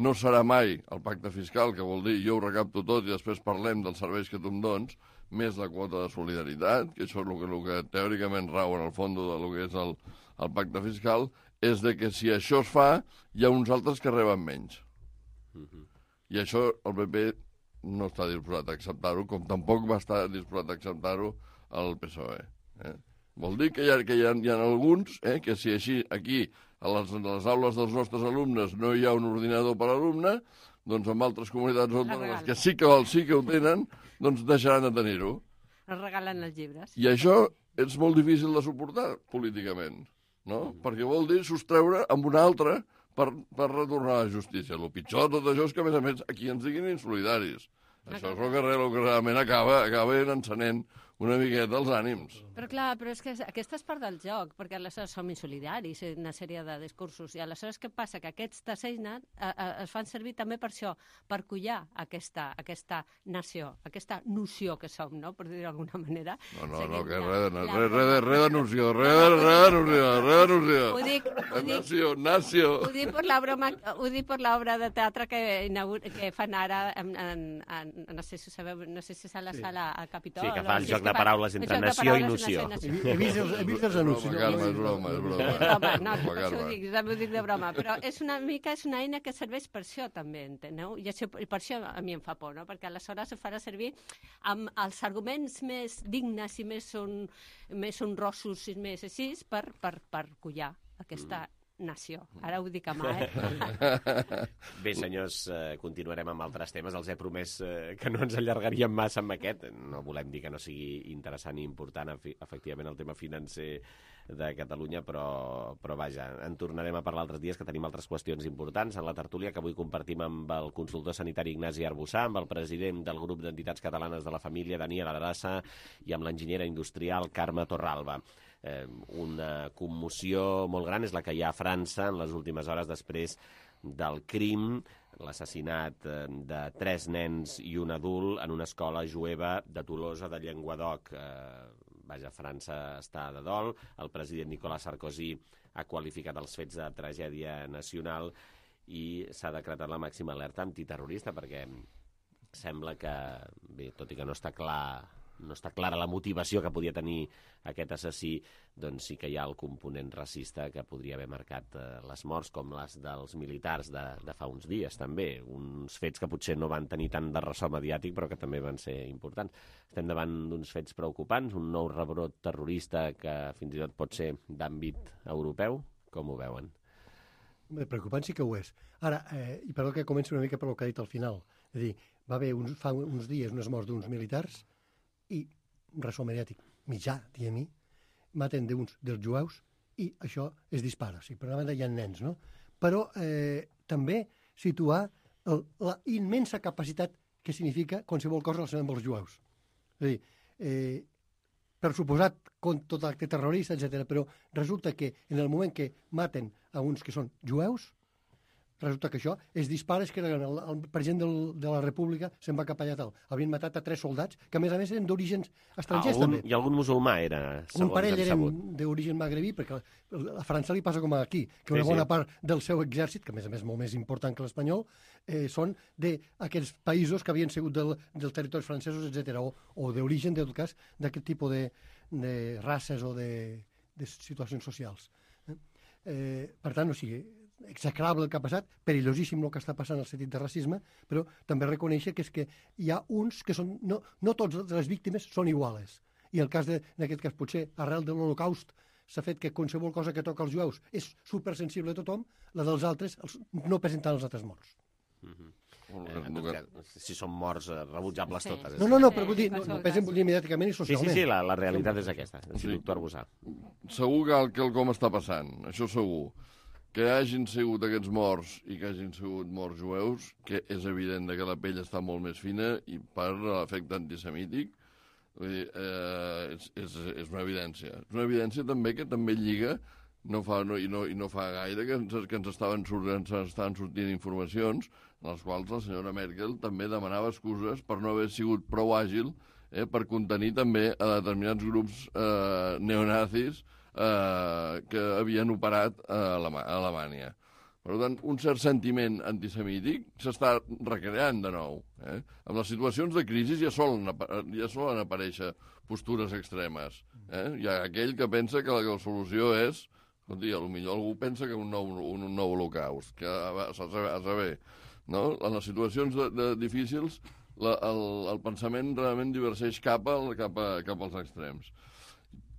No serà mai el pacte fiscal, que vol dir jo ho recapto tot i després parlem dels serveis que tu em dones, més la quota de solidaritat, que això és el que, el que teòricament rau en el fons del que és el, el pacte fiscal, és de que si això es fa, hi ha uns altres que reben menys. Uh-huh. I això el P P no està disposat a acceptar-ho, com tampoc va estar disposat a acceptar-ho el P S O E. Eh? Vol dir que hi ha, que hi ha, hi ha alguns eh, que si així aquí a les, a les aules dels nostres alumnes no hi ha un ordinador per alumne, doncs en altres comunitats autònomes que sí que, sí que ho tenen, doncs deixaran de tenir-ho. Es regalen els llibres. I això és molt difícil de suportar políticament, no? Perquè vol dir sostreure amb un altre per, per retornar a la justícia. El pitjor de tot això és que, a més a més, aquí ens diguin insolidaris. Això és el que, el que realment acaba, acaba encenent una miqueta els ànims. Però clar, però és que aquesta és part del joc, perquè aleshores som insolidaris en una sèrie de discursos, i aleshores què passa? Que aquests t'assenynen, eh, eh, es fan servir també per això, per collar aquesta, aquesta nació, aquesta noció que som, no?, per dir-ho d'alguna manera. No, no, no, que res de, res, res, res, res de noció, res de, res de noció, res de noció. Ho dic, ho dic, nació, nació. Ho dic per la broma, ho dic per l'obra de teatre que, que fan ara, en, en, en, no sé si sabeu, no sé si és a la sala al Capitol. Sí, que fa el joc de paraules entre nació i noció. He vist els, he vist els anuncis. Calma, és broma, és broma. És broma, no, per això ho dic, ho dic de broma, però és una mica és una eina que serveix per això també, enteneu? I, això, i per això a mi em fa por, no? Perquè aleshores ho farà servir amb els arguments més dignes i més, son, més honrosos i més així per, per, per collar aquesta nació. Ara ho dic a mà, eh? Bé, senyors, eh, continuarem amb altres temes. Els he promès eh, que no ens allargaríem massa amb aquest. No volem dir que no sigui interessant i important, efectivament, el tema financer de Catalunya, però, però vaja, en tornarem a parlar altres dies, que tenim altres qüestions importants en la tertúlia que avui compartim amb el consultor sanitari Ignasi Arbussà, amb el president del grup d'entitats catalanes de la família, Daniel Adrassa, i amb l'enginyera industrial Carme Torralba. Eh, una commoció molt gran és la que hi ha a França en les últimes hores després del crim, l'assassinat eh, de tres nens i un adult en una escola jueva de Tolosa de Llenguadoc. Eh, vaja, França està de dol. El president Nicolas Sarkozy ha qualificat els fets de tragèdia nacional i s'ha decretat la màxima alerta antiterrorista perquè sembla que, bé, tot i que no està clar no està clara la motivació que podia tenir aquest assassí, doncs sí que hi ha el component racista que podria haver marcat eh, les morts, com les dels militars de, de fa uns dies, també. Uns fets que potser no van tenir tant de ressò mediàtic, però que també van ser importants. Estem davant d'uns fets preocupants, un nou rebrot terrorista que fins i tot pot ser d'àmbit europeu. Com ho veuen? Bé, preocupant sí que ho és. Ara, eh, i perdó que comenci una mica per el que ha dit al final. És a dir, va haver uns, fa uns dies unes morts d'uns militars i un ressò mediàtic mitjà, diguem-hi, maten d'uns dels jueus i això es dispara. O sigui, per una banda hi ha nens, no? Però eh, també situar el, la immensa capacitat que significa qualsevol cosa relacionada amb els jueus. És a dir, eh, per suposat, con tot acte terrorista, etcètera, però resulta que en el moment que maten a uns que són jueus, resulta que això es dispara, és que el, el president del, de la República se'n va cap allà tal. Havien matat a tres soldats, que a més a més eren d'orígens estrangers algun, també. I algun musulmà era, segons un parell hem sabut. eren d'origen magrebí, perquè a França li passa com aquí, que una sí, bona sí. part del seu exèrcit, que a més a més molt més important que l'espanyol, eh, són d'aquests països que havien sigut del, dels territoris francesos, etcètera, o, o d'origen, en tot cas, d'aquest tipus de, de races o de, de situacions socials. Eh? Eh, per tant, o sigui, execrable el que ha passat, perillosíssim el que està passant al sentit de racisme, però també reconèixer que és que hi ha uns que són... No, no totes les víctimes són iguales. I el cas de, en aquest cas, potser, arrel de l'Holocaust, s'ha fet que qualsevol cosa que toca als jueus és supersensible a tothom, la dels altres els, no presenten els altres morts. Mm-hmm. Eh, si són morts eh, rebutjables sí. totes. No, no, no, però vull dir, no, no pesen mediàticament i socialment. Sí, sí, sí, la, la realitat és aquesta, sí. Doctor Arbussà. Segur que el quelcom està passant, això segur. Que hagin sigut aquests morts i que hagin sigut morts jueus, que és evident que la pell està molt més fina i per l'efecte antisemític, vull dir, eh, és, és, és una evidència. És una evidència també que també lliga, no fa, no, i, no, i no fa gaire, que ens, que ens, estaven, ens estaven sortint informacions en les quals la senyora Merkel també demanava excuses per no haver sigut prou àgil eh, per contenir també a determinats grups eh, neonazis Eh, que havien operat a, Alema a Alemanya. Per tant, un cert sentiment antisemític s'està recreant de nou. Eh? En les situacions de crisi ja solen, ja solen aparèixer postures extremes. Eh? Hi ha aquell que pensa que la, que la solució és... Escolti, potser algú pensa que un nou, un, un nou holocaust, que a, a, a saber, no? En les situacions de, de difícils la, el, el pensament realment divergeix cap, al, cap, a, cap als extrems.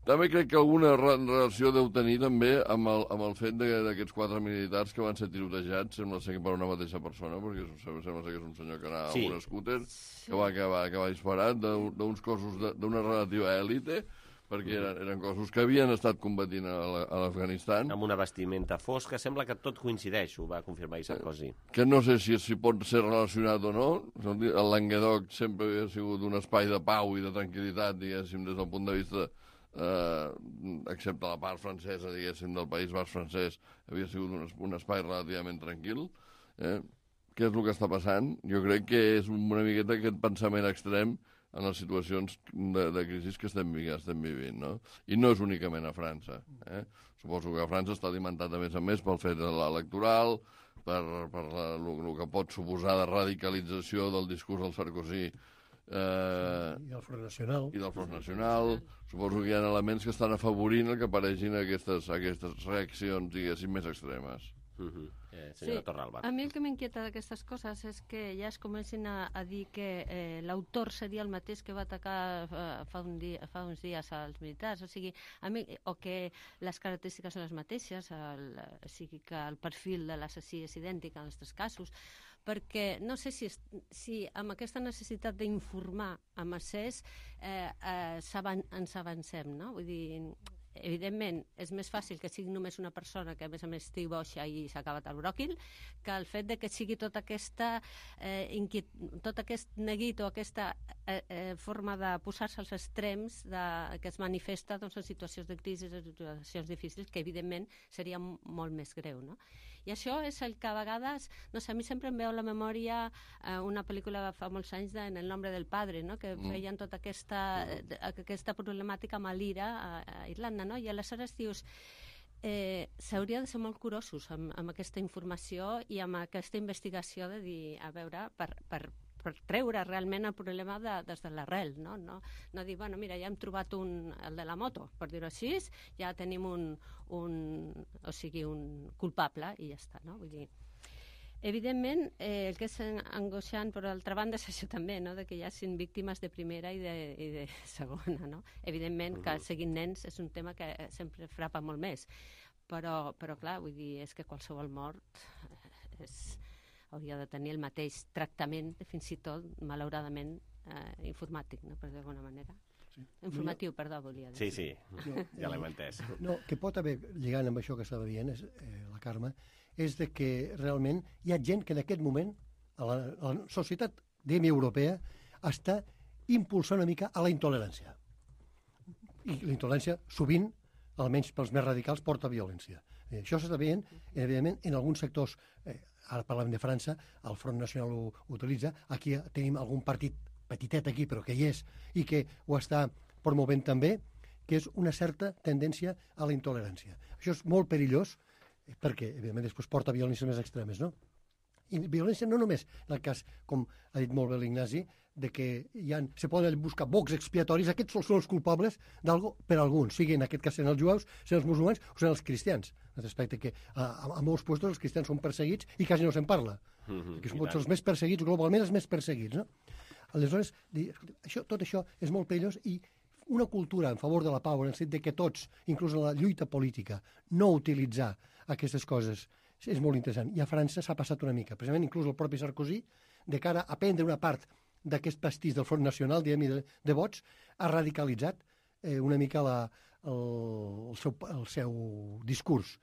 També crec que alguna relació deu tenir també amb el, amb el fet d'aquests quatre militars que van ser tirotejats, sembla ser que per una mateixa persona, perquè sembla ser que és un senyor que anava sí. amb un scooter, que va, que va, que va disparar d'uns cossos d'una relativa èlite. perquè eren, eren cossos que havien estat combatint a l'Afganistan. Amb una vestimenta fosca, sembla que tot coincideix, ho va confirmar Sarkozy. Que no sé si, si pot ser relacionat o no. El Languedoc sempre havia sigut un espai de pau i de tranquil·litat, diguéssim, des del punt de vista, eh, excepte la part francesa, diguéssim, del País Basc francès, havia sigut un, un espai relativament tranquil. Eh? Què és el que està passant? Jo crec que és una miqueta aquest pensament extrem en les situacions de, de crisi que estem, que estem vivint, no? I no és únicament a França. Eh? Suposo que a França està alimentat, a més a més, pel fet de l'electoral, per, per la, el, el que pot suposar de radicalització del discurs del Sarkozy eh, i del Front Nacional. I del Front Nacional. Suposo que hi ha elements que estan afavorint que apareixin aquestes, aquestes reaccions, diguéssim, més extremes. Uh-huh. eh, senyora Sí, Torralba. a mi el que m'inquieta d'aquestes coses és que ja es comencin a, a dir que eh, l'autor seria el mateix que va atacar eh, fa, un dia, fa uns dies als militars, o sigui, a mi, o que les característiques són les mateixes, el, o sigui que el perfil de l'assassí és idèntic en els tres casos, perquè no sé si, si amb aquesta necessitat d'informar a massers eh, eh, avan, ens avancem, no? Vull dir, evidentment, és més fàcil que sigui només una persona que, a més a més, estigui boixa i s'ha acabat el bròquil, que el fet de que sigui tota aquesta eh, inquiet... tot aquest neguit o aquesta eh, eh, forma de posar-se als extrems de... que es manifesta doncs, en situacions de crisi, en situacions difícils, que, evidentment, seria molt més greu, no? I això és el que a vegades, no sé, a mi sempre em veu a la memòria eh, una pel·lícula de fa molts anys de En el nombre del padre, no? Que Mm. feien tota aquesta, eh, aquesta problemàtica amb l'Ira a, a Irlanda, no? I aleshores dius, eh, s'hauria de ser molt curosos amb, amb aquesta informació i amb aquesta investigació de dir, a veure, per, per, per treure realment el problema de, des de l'arrel, no? No, no dir, bueno, mira, ja hem trobat un, el de la moto, per dir-ho així, ja tenim un, un, o sigui, un culpable i ja està, no? Vull dir, evidentment, eh, el que és angoixant, per altra banda, és això també, no? De que hi hagin víctimes de primera i de, i de segona, no? Evidentment que seguint nens és un tema que sempre frapa molt més, però, però clar, vull dir, és que qualsevol mort és... hauria de tenir el mateix tractament, fins i tot, malauradament, eh, informàtic, no? Per d'alguna manera. Sí. Informatiu, no, perdó, volia dir. Sí, sí, no, ja l'hem entès. No, que pot haver, lligant amb això que estava dient, és, eh, la Carme, és de que realment hi ha gent que en aquest moment, a la, a la societat, diguem, europea, està impulsant una mica a la intolerància. I la intolerància, sovint, almenys pels més radicals, porta violència. Eh, això s'està veient, evidentment, en alguns sectors, eh, ara parlem de França, el Front Nacional ho, ho utilitza, aquí tenim algun partit petitet aquí, però que hi és, i que ho està promovent també, que és una certa tendència a la intolerància. Això és molt perillós, perquè, evidentment, després porta violències més extremes, no? I violència no només, en el cas, com ha dit molt bé l'Ignasi, de que hi ha, se poden buscar bocs expiatoris, aquests són els culpables d'algo per alguns, sigui en aquest cas en els jueus, en els musulmans o en els cristians. Respecte que a, a, a molts llocs els cristians són perseguits i quasi no se'n parla. Mm-hmm, que són els més perseguits, globalment els més perseguits, no? Aleshores, dir, això, tot això és molt perillós i una cultura en favor de la pau, en el sentit que tots, inclús en la lluita política, no utilitzar aquestes coses, és molt interessant. I a França s'ha passat una mica. Precisament, inclús el propi Sarkozy, de cara a prendre una part d'aquest pastís del Front Nacional, diguem, de, de vots, ha radicalitzat eh, una mica la, el, el, seu, el seu discurs.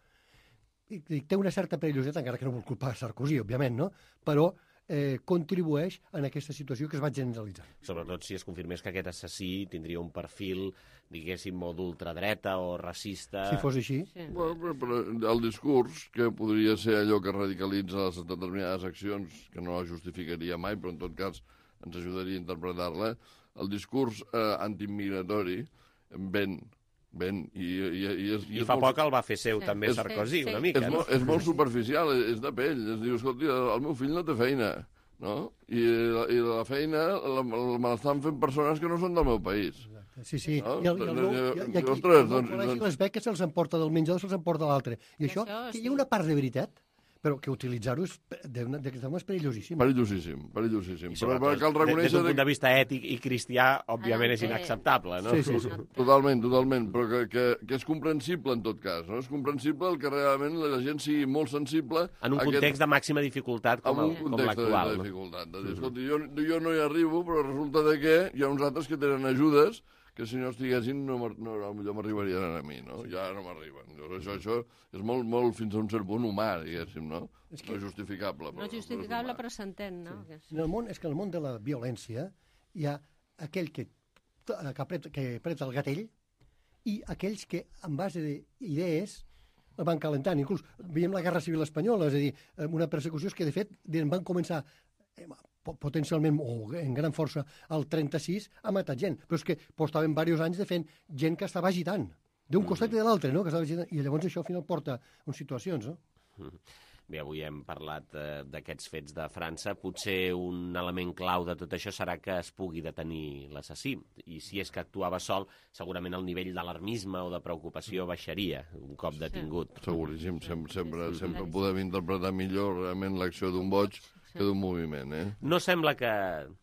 I, i té una certa perillositat, encara que no vol culpar Sarkozy, òbviament, no? Però eh, contribueix en aquesta situació que es va generalitzar. Sobretot si es confirmés que aquest assassí tindria un perfil, diguéssim, o d'ultradreta o racista... Si fos així. Sí. Bueno, però el discurs, que podria ser allò que radicalitza les determinades accions, que no la justificaria mai, però en tot cas ens ajudaria a interpretar-la, el discurs eh, antiimmigratori ven, ven, i, i, i, és, I, I fa molt... poc el va fer seu sí, també Sarkozy, sí, sí. una mica. És, no? molt, és molt superficial, és, és de pell. Es diu, escolti, el meu fill no té feina, no? I la, i la feina la, la, me l'estan fent persones que no són del meu país. Sí, sí. No? I, el, i, el, i, i, i aquí, Ostres, el doncs, col·legi, les beques se'ls emporta del menjador, se'ls emporta l'altre. I això, això sí. Hi ha una part de veritat, però que utilitzar-ho és, d'aquesta forma és perillosíssim. Perillosíssim, perillosíssim. Però, però cal reconèixer... Des d'un punt de vista ètic i cristià, òbviament, és inacceptable, no? Sí, sí, sí. Totalment, totalment, però que, que, que és comprensible en tot cas, no? És comprensible el que realment la gent sigui molt sensible... En un context aquest... de màxima dificultat com, el, com l'actual. En un context de dificultat. De dir, escolti, jo, jo no hi arribo, però resulta de que hi ha uns altres que tenen ajudes que si no estiguessin no, no, no m'arribarien a mi, no? Ja no m'arriben. Això, això és molt, molt fins a un cert punt humà, diguéssim, no? És que... No és justificable. No és justificable, però s'entén, no? Sí. En el món, és que en el món de la violència hi ha aquell que, que, apreta, que apreta el gatell i aquells que, en base d'idees, el van calentant. Inclús veiem la Guerra Civil Espanyola, és a dir, una persecució que, de fet, van començar potencialment, o en gran força, al trenta-sis, ha matat gent. Però és que portaven diversos anys de fent gent que estava agitant, d'un costat i de l'altre, no? Que estava agitant, i llavors això al final porta a situacions, no? Bé, avui hem parlat eh, d'aquests fets de França. Potser un element clau de tot això serà que es pugui detenir l'assassí. I si és que actuava sol, segurament el nivell d'alarmisme o de preocupació baixaria un cop detingut. Sí. Seguríssim, sempre, sempre, sempre podem interpretar millor realment l'acció d'un boig que d'un moviment, eh? No sembla que...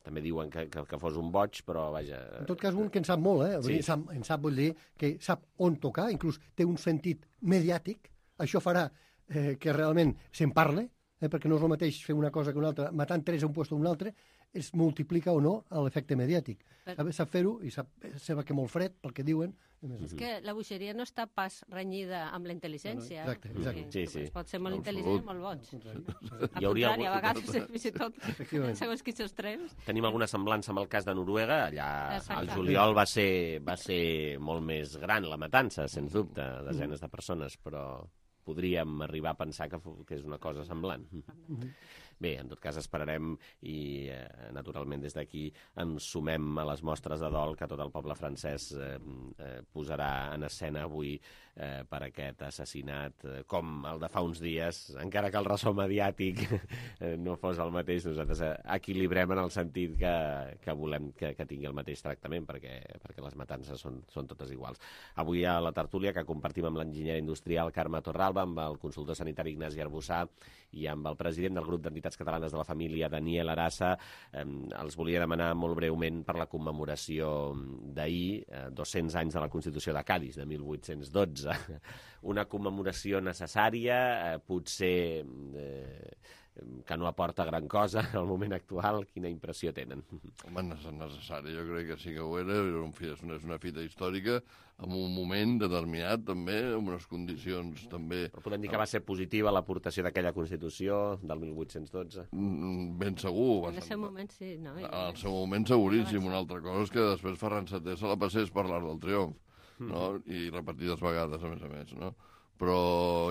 També diuen que, que, que fos un boig, però vaja... En tot cas, un que en sap molt, eh? Sí. En sap, en sap, vol dir que sap on tocar, inclús té un sentit mediàtic. Això farà eh, que realment se'n parle, eh? Perquè no és el mateix fer una cosa que una altra. Matant tres a un lloc o un altre es multiplica o no l'efecte mediàtic. Però... Sap fer-ho i sap, sap que molt fred, pel que diuen. És que la bogeria no està pas renyida amb la intel·ligència. No, no, exacte, exacte. Sí, sí. Sí. Pot ser molt intel·ligent i molt boig. Hi hauria algun... a vegades, fins i tot, segons quins extrems. Tenim alguna semblança amb el cas de Noruega. Allà al juliol va ser, va ser molt més gran la matança, sens dubte, desenes de persones, però podríem arribar a pensar que, que és una cosa semblant. Bé, en tot cas esperarem i, eh, naturalment, des d'aquí ens sumem a les mostres de dol que tot el poble francès eh, eh, posarà en escena avui eh, per aquest assassinat, eh, com el de fa uns dies, encara que el ressò mediàtic eh, no fos el mateix, nosaltres eh, equilibrem en el sentit que, que volem que, que tingui el mateix tractament, perquè, perquè les matances són, són totes iguals. Avui a la tertúlia que compartim amb l'enginyer industrial Carme Torralba, amb el consultor sanitari Ignasi Arbussà i amb el president del grup d'entitats catalanes de la família, Daniel Arassa, eh, els volia demanar molt breument per la commemoració d'ahir, eh, dos-cents anys de la Constitució de Cadis, de mil vuit-cents dotze. Una commemoració necessària, eh, potser eh, que no aporta gran cosa al moment actual. Quina impressió tenen? Home, necessari, jo crec que sí que ho era. És una, és una fita històrica en un moment determinat, també, amb unes condicions també... Però podem dir que va ser positiva l'aportació d'aquella Constitució del mil vuit-cents dotze? Ben segur. En el seu moment, sí. No? En el seu moment, seguríssim. Una altra cosa és que després Ferran Seté se la passés per l'Arc del Triomf, no? I repetides vegades, a més a més, no? Però,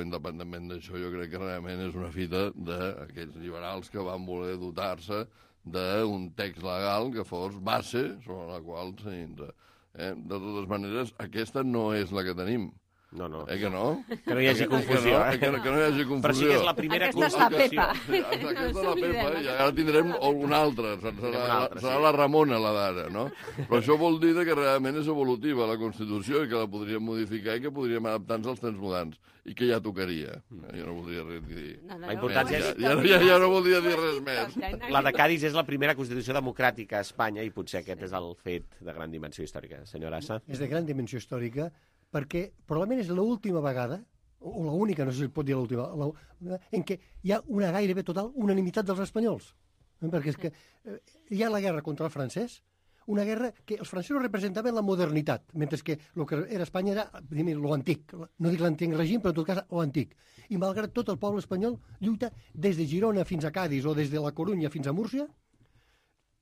independentment d'això, jo crec que realment és una fita d'aquells liberals que van voler dotar-se d'un text legal que fos base sobre la qual s'entra. Eh? De totes maneres, aquesta no és la que tenim. No, no. Eh que no? Que no hi hagi confusió. Eh? Que, no, que no hi hagi confusió. Però sí que és la primera aquesta constitució. Aquesta és la Pepa. Sí, aquesta és la Pepa, i ara tindrem una altra. Serà, altra, serà sí. La Ramona, la d'ara, no? Però això vol dir que realment és evolutiva la Constitució i que la podríem modificar i que podríem adaptar-nos als temps moderns. I que ja tocaria. Jo no voldria res dir. No, no, la importància ja, ja, ja, ja no voldria dir res més. La de Cadis és la primera Constitució democràtica a Espanya i potser aquest és el fet de gran dimensió històrica. Senyor Arassa? És de gran dimensió històrica perquè probablement és l'última vegada, o l'única, no sé si es pot dir l'última, en què hi ha una gairebé total unanimitat dels espanyols. Perquè és que hi ha la guerra contra el francès, una guerra que els francesos representaven la modernitat, mentre que el que era Espanya era l'antic, no dic l'antic règim, però en tot cas l'antic. I malgrat tot el poble espanyol lluita des de Girona fins a Cadis o des de la Corunya fins a Múrcia,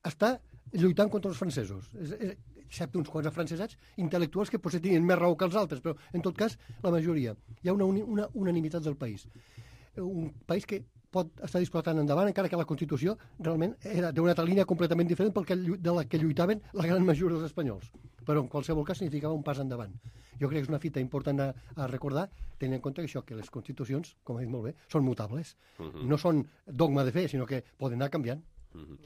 està lluitant contra els francesos. És, és, excepte uns quants afrancesats intel·lectuals que potser tenien més raó que els altres, però en tot cas la majoria. Hi ha una, una unanimitat del país. Un país que pot estar disputant endavant, encara que la Constitució realment era d'una altra línia completament diferent pel que, de la que lluitaven la gran majoria dels espanyols. Però en qualsevol cas significava un pas endavant. Jo crec que és una fita important a, a recordar, tenint en compte que això, que les Constitucions, com ha dit molt bé, són mutables. Uh-huh. No són dogma de fe, sinó que poden anar canviant. Uh-huh.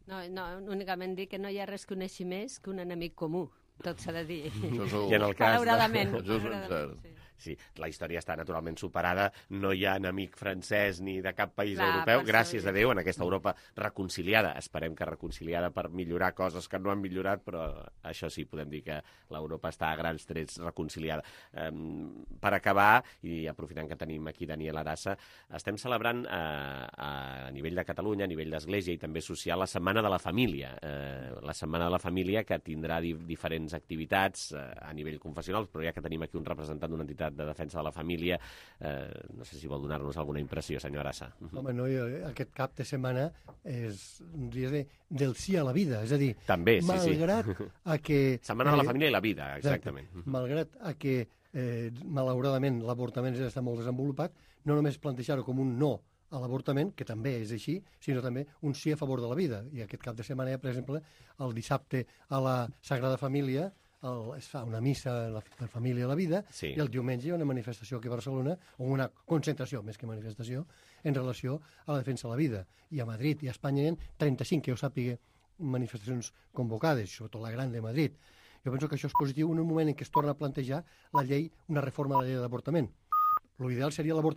No, no, únicament dir que no hi ha res que uneixi més que un enemic comú, tot s'ha de dir. I en el cas malauradament. De... Això és ben cert. Sí. Sí, la història està naturalment superada, no hi ha enemic francès ni de cap país Clar, europeu, per gràcies això, a Déu, en aquesta Europa reconciliada. Esperem que reconciliada per millorar coses que no han millorat, però això sí, podem dir que l'Europa està a grans trets reconciliada. Um, per acabar, i aprofitant que tenim aquí Daniel Arassa, estem celebrant uh, a nivell de Catalunya, a nivell d'Església i també social, la Setmana de la Família. Uh, la Setmana de la Família que tindrà di diferents diferents activitats eh, a nivell confessional, però ja que tenim aquí un representant d'una entitat de defensa de la família, eh, no sé si vol donar-nos alguna impressió, senyor Arassa. Home, no, jo, aquest cap de setmana és un dia de, del sí a la vida, és a dir, també, sí, malgrat sí. a que... Setmana de la família i la vida, exactament. Exacte, malgrat a que, eh, malauradament, l'avortament ja està molt desenvolupat, no només plantejar-ho com un no a l'avortament, que també és així, sinó també un sí a favor de la vida. I aquest cap de setmana, per exemple, el dissabte a la Sagrada Família el, es fa una missa a la, la família i la vida, sí. I el diumenge hi ha una manifestació aquí a Barcelona, o una concentració, més que manifestació, en relació a la defensa de la vida. I a Madrid i a Espanya hi ha trenta-cinc, que jo sàpiga, manifestacions convocades, sobretot la gran de Madrid. Jo penso que això és positiu en un moment en què es torna a plantejar la llei, una reforma de la llei d'avortament. L'ideal seria l'avortament